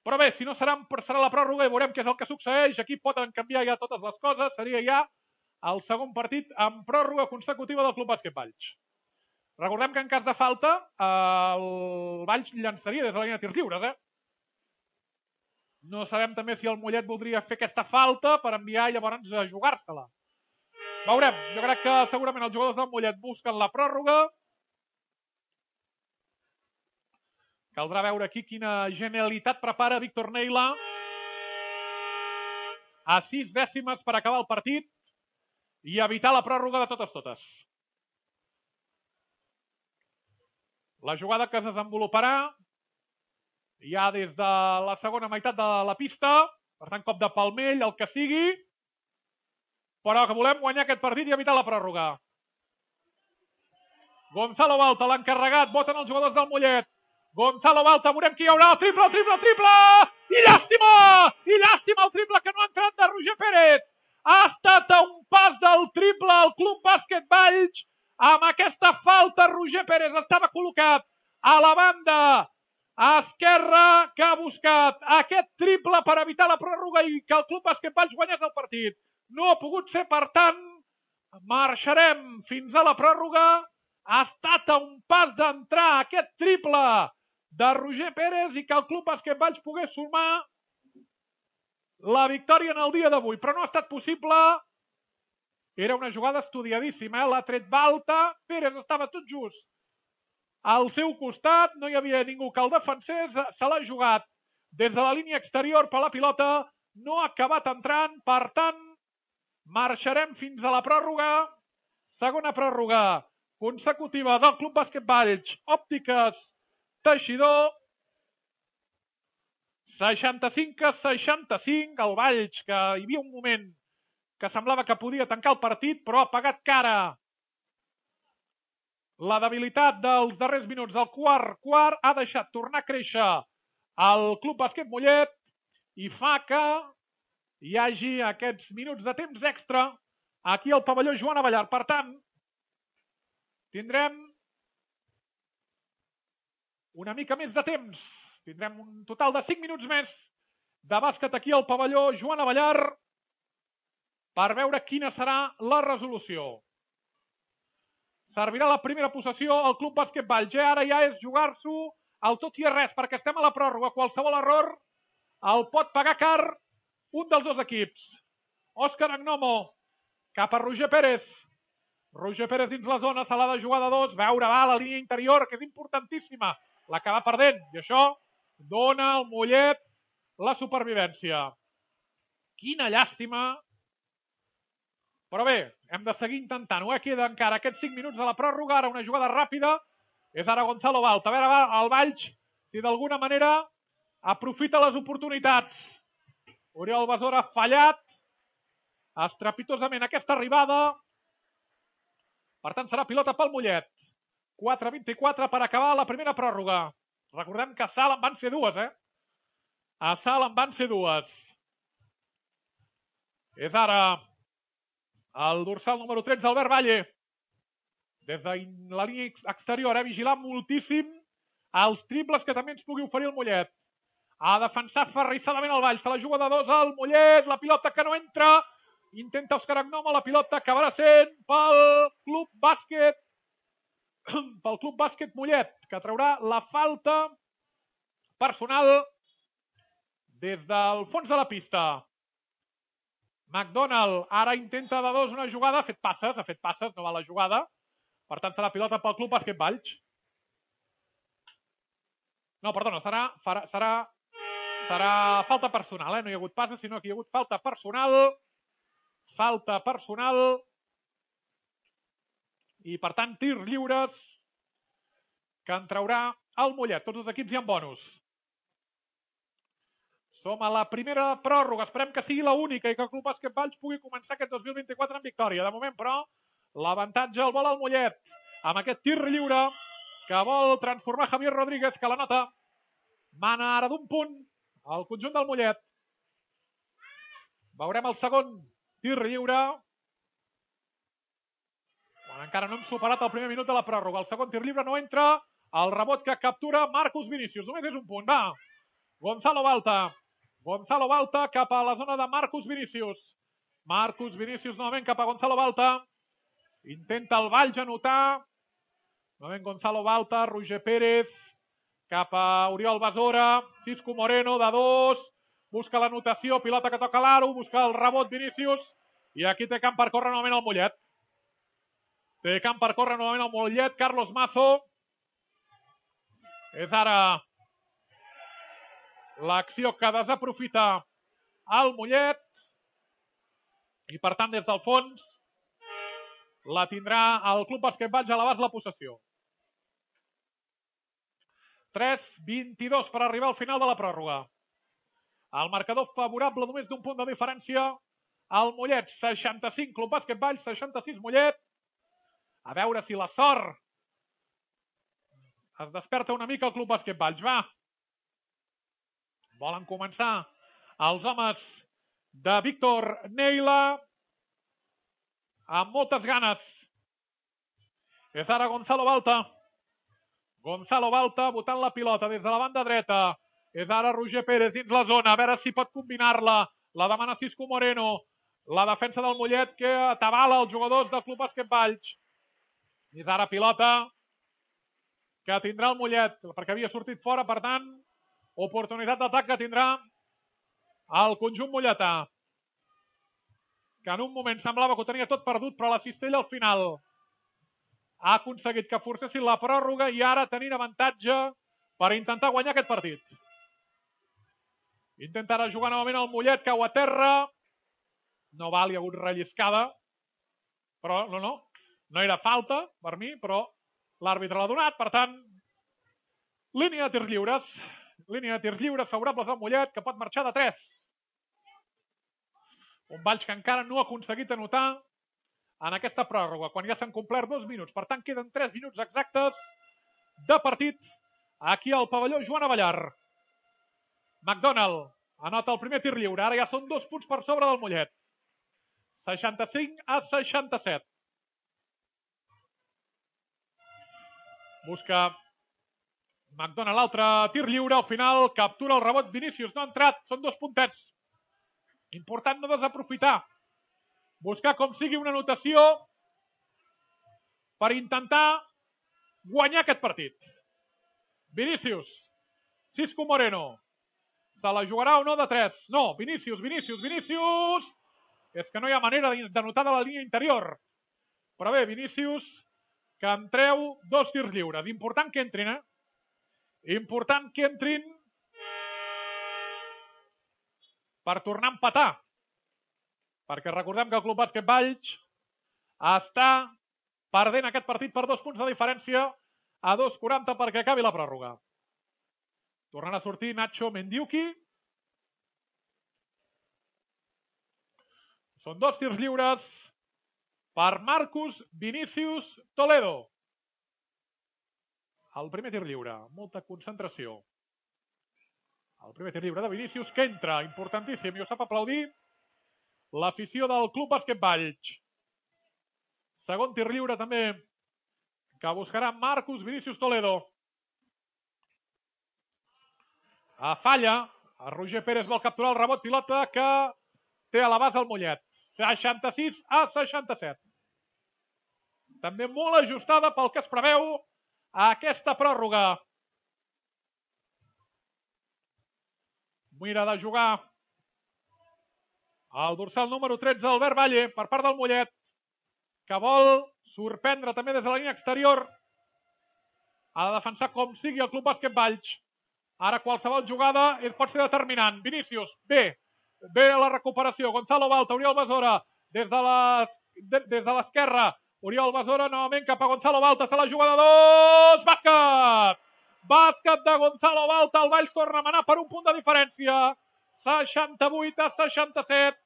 Però bé, si no serà la pròrroga i veurem què és el que succeeix. Aquí poden canviar ja totes les coses. Seria ja el segon partit amb pròrroga consecutiva del Club Bàsquet Valls. Recordem que en cas de falta, el Valls llançaria des de la línia de tirs lliures. No sabem també si el Mollet voldria fer aquesta falta per enviar llavors a jugar-se-la. Veurem. Jo crec que segurament els jugadors del Mollet busquen la pròrroga. Caldrà veure aquí quina genialitat prepara Víctor Neila. A 6 dècimes per acabar el partit i evitar la pròrroga de totes. La jugada que es desenvoluparà ja des de la segona meitat de la pista, per tant, cop de palmell, el que sigui, però que volem guanyar aquest partit i evitar la pròrroga. Gonzalo Balta, l'encarregat, voten els jugadors del Mollet. Gonzalo Balta, veurem qui hi haurà, el triple! I llàstima el triple que no ha entrat de Roger Pérez. Ha estat a un pas del triple al Club Bàsquet Valls. Amb aquesta falta, Roger Pérez estava col·locat a la banda esquerra, que ha buscat aquest triple per evitar la pròrroga i que el Club Bàsquet Valls guanyés el partit. No ha pogut ser, per tant, marxarem fins a la pròrroga. Ha estat a un pas d'entrar aquest triple de Roger Pérez i que el Club Bàsquet Valls pogués sumar la victòria en el dia d'avui, però no ha estat possible. Era una jugada estudiadíssima, l'ha tret Balta, Pérez estava tot just al seu costat, no hi havia ningú que el defensés, se l'ha jugat des de la línia exterior per la pilota, no ha acabat entrant, per tant, marxarem fins a la pròrroga, segona pròrroga consecutiva del Club Bàsquet Valls, Òptiques Teixidor, 65-65, el Valls, que hi havia un moment que semblava que podia tancar el partit, però ha pagat cara la debilitat dels darrers minuts del quart ha deixat tornar a créixer el Club Bàsquet Mollet i fa que hi hagi aquests minuts de temps extra aquí al pavelló Joan Abellar. Per tant, tindrem una mica més de temps. Tindrem un total de 5 minuts més de bàsquet aquí al pavelló Joan Abellar per veure quina serà la resolució. Servirà la primera possessió al Club Bàsquet Valls. Ara ja és jugar-s'ho al tot i a res, perquè estem a la pròrroga. Qualsevol error el pot pagar car un dels dos equips. Òscar Agnomo, cap a Roger Pérez. Roger Pérez dins la zona, se l'ha de jugar de dos. Veure, va, la línia interior, que és importantíssima. L'acaba perdent, i això dona al Mollet la supervivència. Quina llàstima. Però bé, hem de seguir intentant-ho. Queda encara aquests 5 minuts de la pròrroga. Ara una jugada ràpida. És ara Gonzalo Balta. A veure, el Valls, si d'alguna manera aprofita les oportunitats. Oriol Besora ha fallat estrepitosament aquesta arribada. Per tant, serà pilota pel Mollet. 4-24 per acabar la primera pròrroga. Recordem que a Salt en van ser dues, A Salt en van ser dues. És ara el dorsal número 13, Albert Valle. Des de la línia exterior, vigilant moltíssim els triples que també ens pugui oferir el Mollet. Ha defensat ferrissadament el Valls. Se la juga de dos al Mollet. La pilota que no entra. Intenta Òscar Agnomo. La pilota acabarà sent pel Club Bàsquet Mollet, que traurà la falta personal des del fons de la pista. McDonald ara intenta de dos una jugada, ha fet passes, no va la jugada. Per tant, serà pilota pel Club Bàsquet Valls. No, perdona, serà falta personal, No hi ha hagut passes, sinó que hi ha hagut falta personal. I, per tant, tirs lliures que en traurà el Mollet. Tots els equips hi ha bonus. Som a la primera pròrroga. Esperem que sigui l'única i que el Club Bàsquet Valls pugui començar aquest 2024 en victòria. De moment, però, l'avantatge el vol el Mollet. amb aquest tir lliure que vol transformar Javier Rodríguez, que la nota. Mana ara d'un punt al conjunt del Mollet. Veurem el segon tir lliure. Quan encara no hem superat el primer minut de la pròrroga. El segon tir lliure no entra. El rebot que captura Marcus Vinícius. Només és un punt. Va. Gonzalo Balta. Gonzalo Balta cap a la zona de Marcus Vinícius. Marcus Vinícius novament cap a Gonzalo Balta. Intenta el Valls anotar. Novament Gonzalo Balta, Roger Pérez, cap a Oriol Besora, Cisco Moreno de 2, busca l'anotació, pilota que toca l'aro, busca el rebot Vinícius, i aquí té camp per córrer novament el Mollet. Té camp per córrer novament el Mollet, Carlos Mazo. És ara l'acció que desaprofita el Mollet, i per tant des del fons la tindrà el Club Bàsquet Valls a l'abast la possessió. 3-22 per arribar al final de la pròrroga. El marcador favorable només d'un punt de diferència. El Mollet, 65, Club Bàsquet Valls, 66, Mollet. A veure si la sort es desperta una mica el Club Bàsquet Valls. Va. Volen començar els homes de Víctor Neila amb moltes ganes. És ara Gonzalo Balta. Gonzalo Balta botant la pilota des de la banda dreta. És ara Roger Pérez dins la zona. A veure si pot combinar-la. La demana Cisco Moreno. La defensa del Mollet que atabala els jugadors del Club Bàsquet Valls. És ara pilota que tindrà el Mollet, perquè havia sortit fora, per tant, oportunitat d'atac que tindrà el conjunt molletà, que en un moment semblava que ho tenia tot perdut, però la cistella al final ha aconseguit que forcessin la pròrroga i ara tenint avantatge per intentar guanyar aquest partit. Intentarà jugar novament el Mollet, cau a terra. No val, hi ha hagut relliscada, però no era falta per mi, però l'àrbitre l'ha donat, per tant, línia de tirs lliures. Línia de tirs lliures favorables al Mollet, que pot marxar de 3. Un Valls que encara no ha aconseguit anotar en aquesta pròrroga, quan ja s'han complert 2 minuts. Per tant, queden 3 minuts exactes de partit aquí al pavelló Joan Avellar. McDonald anota el primer tir lliure. Ara ja són 2 punts per sobre del Mollet. 65-67. Busca McDonald l'altre tir lliure. Al final captura el rebot Vinícius. No ha entrat. Són 2 puntets. Important no desaprofitar. Buscar com sigui una anotació per intentar guanyar aquest partit. Vinícius. Cisco Moreno. Se la jugarà o no de 3? No. Vinícius. És que no hi ha manera d'anotar de la línia interior. Però bé, Vinícius, que en treu 2 tirs lliures. Important que entrin, Important que entrin per tornar a empatar. Perquè recordem que el Club Bàsquet Valls està perdent aquest partit per 2 punts de diferència a 2:40 perquè acabi la pròrroga. Tornant a sortir Nacho Mendiuki. Són 2 tirs lliures per Marcus Vinícius Toledo. El primer tir lliure, molta concentració. El primer tir lliure de Vinícius que entra, importantíssim, i ho sap aplaudir l'afició del Club Bàsquet Valls. Segon tir lliure també que buscarà Marcus Vinícius Toledo. A falla, a Roger Pérez vol capturar el rebot, pilota que té a la base el Mollet. 66-67. També molt ajustada pel que es preveu a aquesta pròrroga. Mira de jugar el dorsal número 13, Albert Valle, per part del Mollet, que vol sorprendre també des de la línia exterior. Ha de defensar com sigui el Club Bàsquet Valls. Ara qualsevol jugada pot ser determinant. Vinícius, bé la recuperació. Gonzalo Balta, Oriol Besora, des de l'esquerra. Oriol Besora novament cap a Gonzalo Balta. Se la juga de 2. Bàsquet! Bàsquet de Gonzalo Balta. El Valls torna a manar per un punt de diferència. 68-67.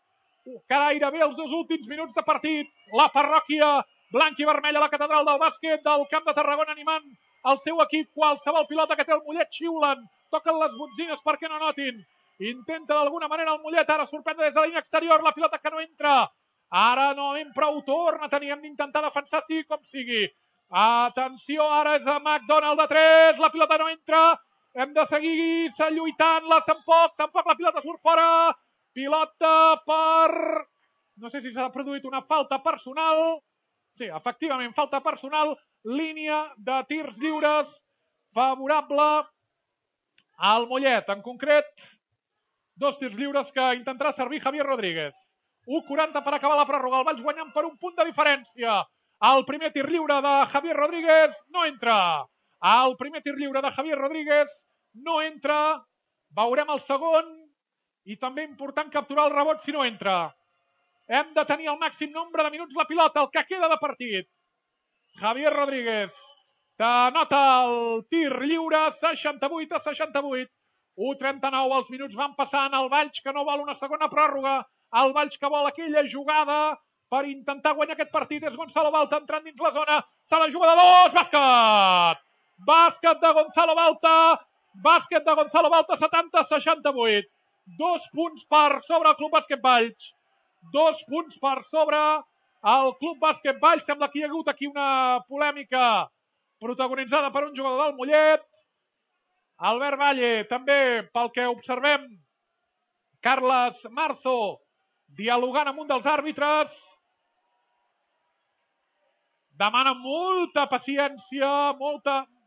Gairebé els 2 últims minuts de partit. La parròquia blanc i vermell a la catedral del bàsquet del Camp de Tarragona, animant el seu equip. Qualsevol pilota que té el Mollet xiulen, toquen les botzines perquè no notin. Intenta d'alguna manera el Mollet, ara sorprendre des de la línia exterior, la pilota que no entra. Ara novament prou torna, teníem d'intentar defensar sí com sigui. Atenció, ara és a McDonald de 3, la pilota no entra. Hem de seguir lluitant-la, tampoc la pilota surt fora. Pilota per... No sé si s'ha produït una falta personal. Sí, efectivament, falta personal. Línia de tirs lliures favorable al Mollet. En concret, 2 tirs lliures que intentarà servir Javier Rodríguez. 1:40 per acabar la pròrroga. El Valls guanyant per un punt de diferència. El primer tir lliure de Javier Rodríguez no entra. El primer tir lliure de Javier Rodríguez no entra. Veurem el segon. I també important capturar el rebot si no entra. Hem de tenir el màxim nombre de minuts la pilota, el que queda de partit. Javier Rodríguez t'anota el tir lliure, 68-68. 1:39, els minuts van passant. El Valls que no vol una segona pròrroga. El Valls que vol aquella jugada per intentar guanyar aquest partit. És Gonzalo Balta entrant dins la zona. Se la juga de 2. Bàsquet! Bàsquet de Gonzalo Balta. Bàsquet de Gonzalo Balta, 70-68. 2 punts per sobre el Club Bàsquet Valls. 2 punts per sobre el Club Bàsquet Valls. Sembla que hi ha hagut aquí una polèmica protagonitzada per un jugador del Mollet. Albert Valle, també pel que observem, Carles Marzo dialogant amb un dels àrbitres. Demana molta paciència,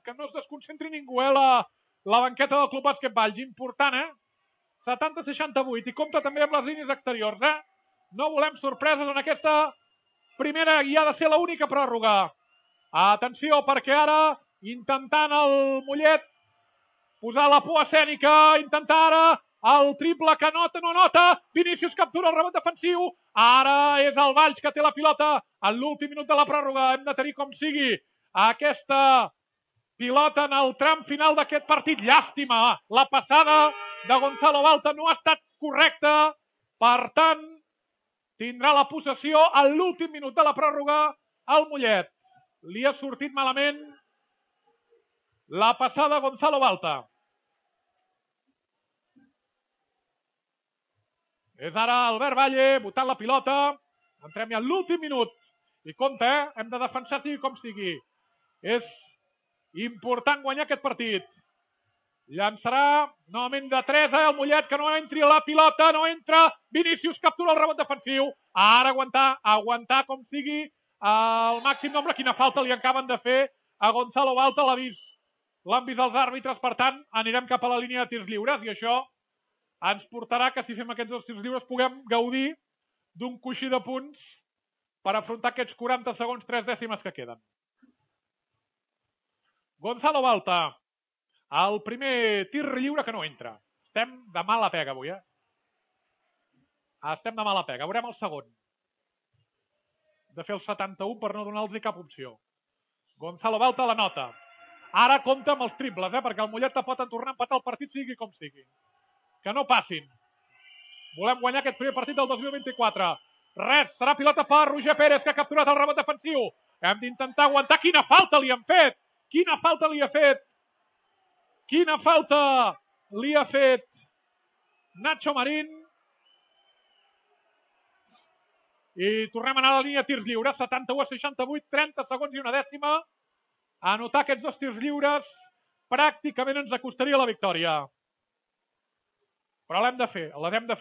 que no es desconcentri ningú, la banqueta del Club Bàsquet Valls. Important, 70-68. I compta també amb les línies exteriors, No volem sorpreses en aquesta primera i ha de ser l'única pròrroga. Atenció, perquè ara, intentant el Mollet posar la por escènica, intentar ara el triple que nota, no nota. Vinícius captura el rebot defensiu. Ara és el Valls que té la pilota en l'últim minut de la pròrroga. Hem de tenir com sigui aquesta pilota en el tram final d'aquest partit. Llàstima, la passada de Gonzalo Balta no ha estat correcta. Per tant, tindrà la possessió en l'últim minut de la pròrroga al Mollet. Li ha sortit malament la passada Gonzalo Balta. És ara Albert Valle botant la pilota. Entrem ja en l'últim minut. I compte, hem de defensar sigui com sigui. És important guanyar aquest partit. Llançarà novament de 3, el Mollet que no entri la pilota, no entra. Vinícius captura el rebot defensiu. Ara aguantar com sigui el màxim nombre. Quina falta li acaben de fer a Gonzalo Balta, l'han vist els àrbitres. Per tant, anirem cap a la línia de tirs lliures i això ens portarà que si fem aquests 2 tirs lliures puguem gaudir d'un coixí de punts per afrontar aquests 40 segons, 3 dècimes que queden. Gonzalo Balta, el primer tir lliure que no entra. Estem de mala pega avui, Estem de mala pega. Veurem el segon. De fer el 71 per no donar-los cap opció. Gonzalo Balta la nota. Ara compta amb els triples, perquè el Mollet pot tornar a empatar el partit sigui com sigui. Que no passin. Volem guanyar aquest primer partit del 2024. Res, serà pilota per Roger Pérez, que ha capturat el rebot defensiu. Hem d'intentar aguantar. Quina falta li han fet! Quina falta li ha fet! Quina falta li ha fet Nacho Marín. I tornem a anar a la línia de tirs lliures. 71-68, 30 segons i una dècima. Anotar aquests 2 tirs lliures pràcticament ens acostaria la victòria. Però les hem de fer,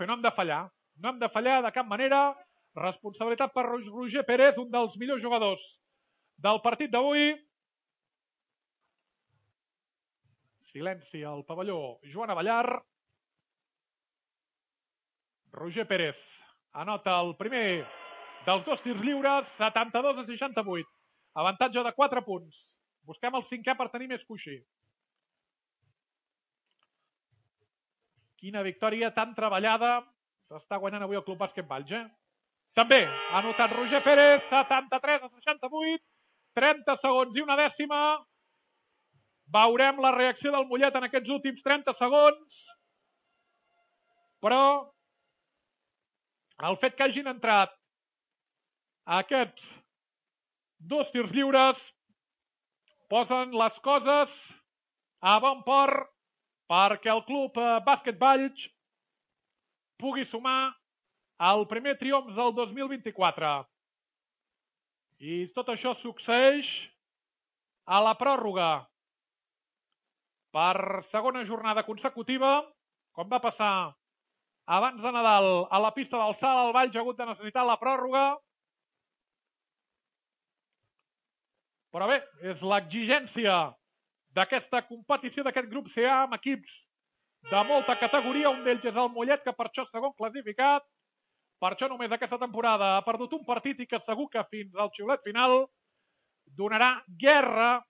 no hem de fallar. No hem de fallar de cap manera. Responsabilitat per Roger Pérez, un dels millors jugadors del partit d'avui. Silenci al pavelló Joan Avellar. Roger Pérez anota el primer dels 2 tirs lliures, 72-68. Avantatge de 4 punts. Busquem el 5è per tenir més coixí. Quina victòria tan treballada s'està guanyant avui el Club Bàsquet Valls, També ha anotat Roger Pérez, 73-68, 30 segons i una dècima. Veurem la reacció del Mollet en aquests últims 30 segons. Però el fet que hagin entrat aquests 2 tirs lliures posen les coses a bon port perquè el club Bàsquet Valls pugui sumar el primer triomf del 2024. I tot això succeeix a la pròrroga. Per segona jornada consecutiva, com va passar abans de Nadal a la pista del Salt, el Valls ha hagut de necessitar la pròrroga. Però bé, és l'exigència d'aquesta competició, d'aquest grup CA, amb equips de molta categoria. Un d'ells és el Mollet, que per això és segon classificat. Per això només aquesta temporada ha perdut un partit i que segur que fins al xiulet final donarà guerra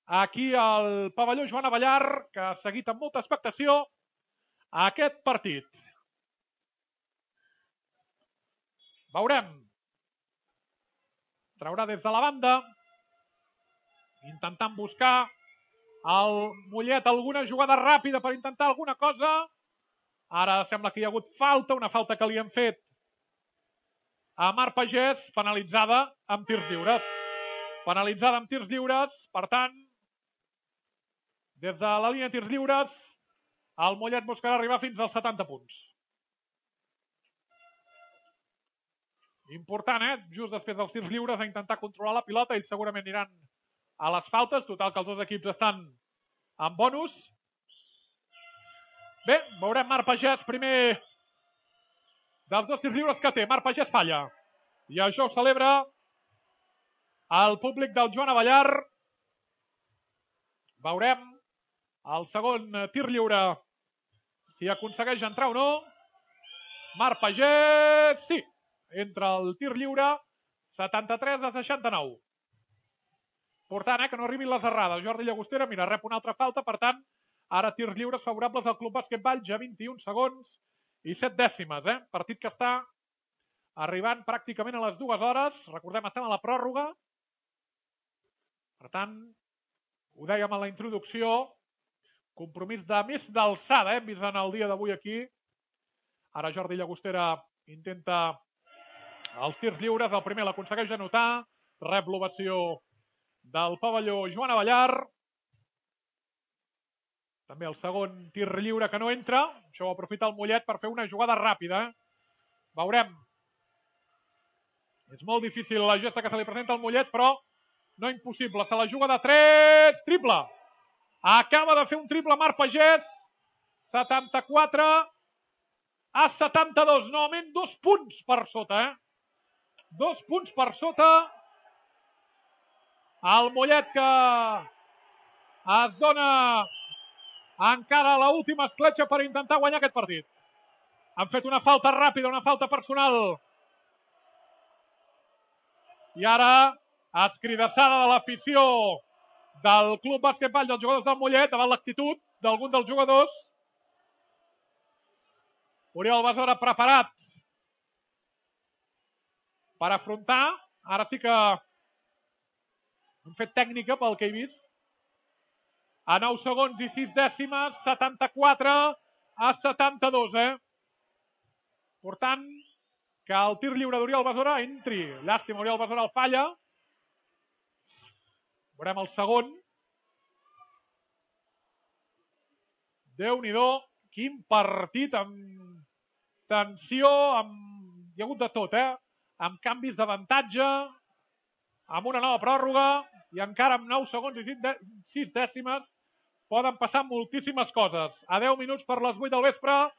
aquí al pavelló Joan Abellar, que ha seguit amb molta expectació aquest partit. Veurem. Traurà des de la banda, intentant buscar el Mollet alguna jugada ràpida per intentar alguna cosa. Ara sembla que hi ha hagut falta, una falta que li han fet a Marc Pagès, penalitzada amb tirs lliures. Penalitzada amb tirs lliures, per tant, des de la línia de tirs lliures, el Mollet buscarà arribar fins als 70 punts. Important, just després dels tirs lliures, a intentar controlar la pilota. Ells segurament aniran a les faltes. Total, que els dos equips estan en bonus. Bé, veurem Marc Pagès, primer dels dos tirs lliures que té. Marc Pagès falla. I això ho celebra el públic del Joan Abellar. Veurem el segon tir lliure, si aconsegueix entrar o no. Marc Pagès, sí, entra el tir lliure, 73-69. Important, que no arribin les errades. Jordi Llagostera, mira, rep una altra falta, per tant, ara tirs lliures favorables al Club Bàsquet Valls a 21 segons i 7 dècimes. Partit que està arribant pràcticament a les 2 hores. Recordem, estem a la pròrroga. Per tant, ho dèiem a la introducció, compromís de més d'alçada, hem vist en el dia d'avui aquí. Ara Jordi Llagostera intenta els tirs lliures. El primer l'aconsegueix anotar, rep l'ovació del pavelló Joan Abellar. També el segon tir lliure que no entra. Això ho aprofita el Mollet per fer una jugada ràpida. Veurem. És molt difícil la gesta que se li presenta al Mollet, però no impossible. Se la juga de 3. Triple. Acaba de fer un triple Marc Pagès. 74-72. Novament 2 punts per sota. 2 punts per sota. El Mollet que es dona encara a l'última escletxa per intentar guanyar aquest partit. Han fet una falta ràpida, una falta personal. I ara, escridassada de l'afició del Club Bàsquet Valls dels jugadors del Mollet, davant l'actitud d'algun dels jugadors. Oriol Besora preparat per afrontar. Ara sí que han fet tècnica pel que he vist. A 9 segons i 6 dècimes, 74-72. Per tant, que el tir lliure d'Oriol Besora entri. Llàstima, Oriol Besora el falla. Veurem el segon. Déu-n'hi-do, quin partit, amb tensió, hi ha hagut de tot, amb canvis d'avantatge, amb una nova pròrroga, i encara amb 9 segons i 6 dècimes poden passar moltíssimes coses. A 10 minuts per les 8 del vespre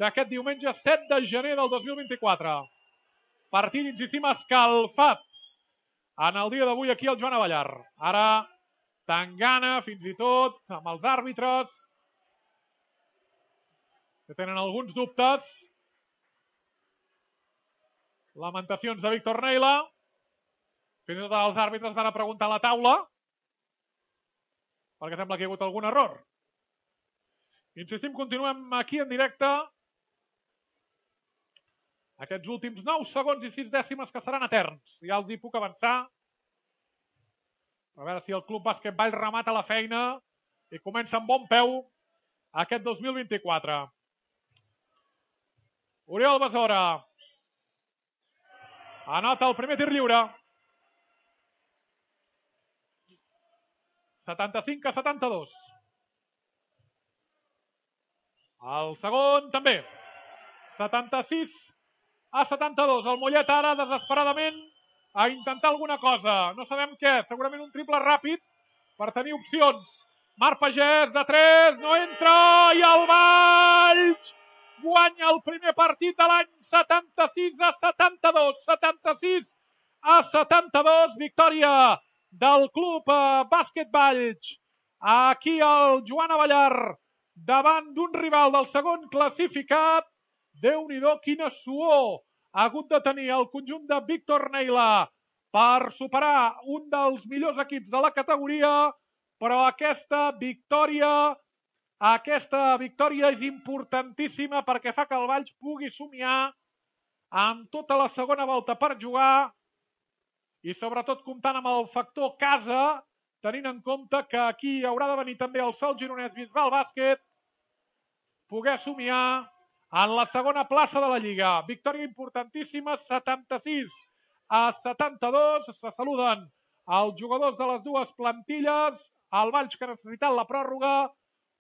d'aquest diumenge 7 de gener del 2024. Partit, insistim, escalfat en el dia d'avui aquí al Joan Abellar. Ara, tangana, fins i tot, amb els àrbitres, que tenen alguns dubtes. Lamentacions de Víctor Neila. Fins i tot els àrbitres van a preguntar a la taula, perquè sembla que hi ha hagut algun error. Insistim, continuem aquí en directe. Aquests últims 9 segons i 6 dècimes que seran eterns. Ja els hi puc avançar. A veure si el Club Bàsquet Valls remata la feina i comença amb bon peu aquest 2024. Oriol Besora anota el primer tir lliure. 75-72. El segon també. 76-72. El Mollet ara desesperadament a intentar alguna cosa. No sabem què. Segurament un triple ràpid per tenir opcions. Marc Pagès de 3. No entra. I el Valls guanya el primer partit de l'any. 76-72. 76-72. Victòria del Club Bàsquet Valls. Aquí el Joan Abellar davant d'un rival del segon classificat. Déu-n'hi-do, quina suor ha hagut de tenir el conjunt de Víctor Neila per superar un dels millors equips de la categoria, però aquesta victòria és importantíssima perquè fa que el Valls pugui somiar amb tota la segona volta per jugar i sobretot comptant amb el factor casa, tenint en compte que aquí haurà de venir també el Sol Gironès Bisbal Bàsquet, poder somiar en la segona plaça de la Lliga. Victòria importantíssima, 76-72. Se saluden els jugadors de les dues plantilles. El Valls que ha necessitat la pròrroga,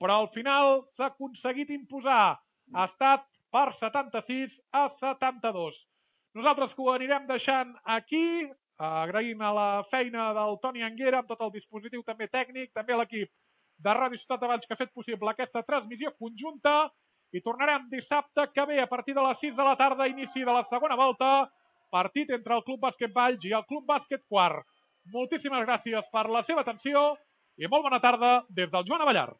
però al final s'ha aconseguit imposar. Ha estat per 76-72. Nosaltres que ho anirem deixant aquí, agraint a la feina del Toni Anguera amb tot el dispositiu també tècnic, també a l'equip de Ràdio Ciutat de Valls que ha fet possible aquesta transmissió conjunta. I tornarem dissabte que ve a partir de les 6 de la tarda, inici de la segona volta, partit entre el Club Bàsquet Valls i el Club Bàsquet Quart. Moltíssimes gràcies per la seva atenció i molt bona tarda des del Joan Abellar.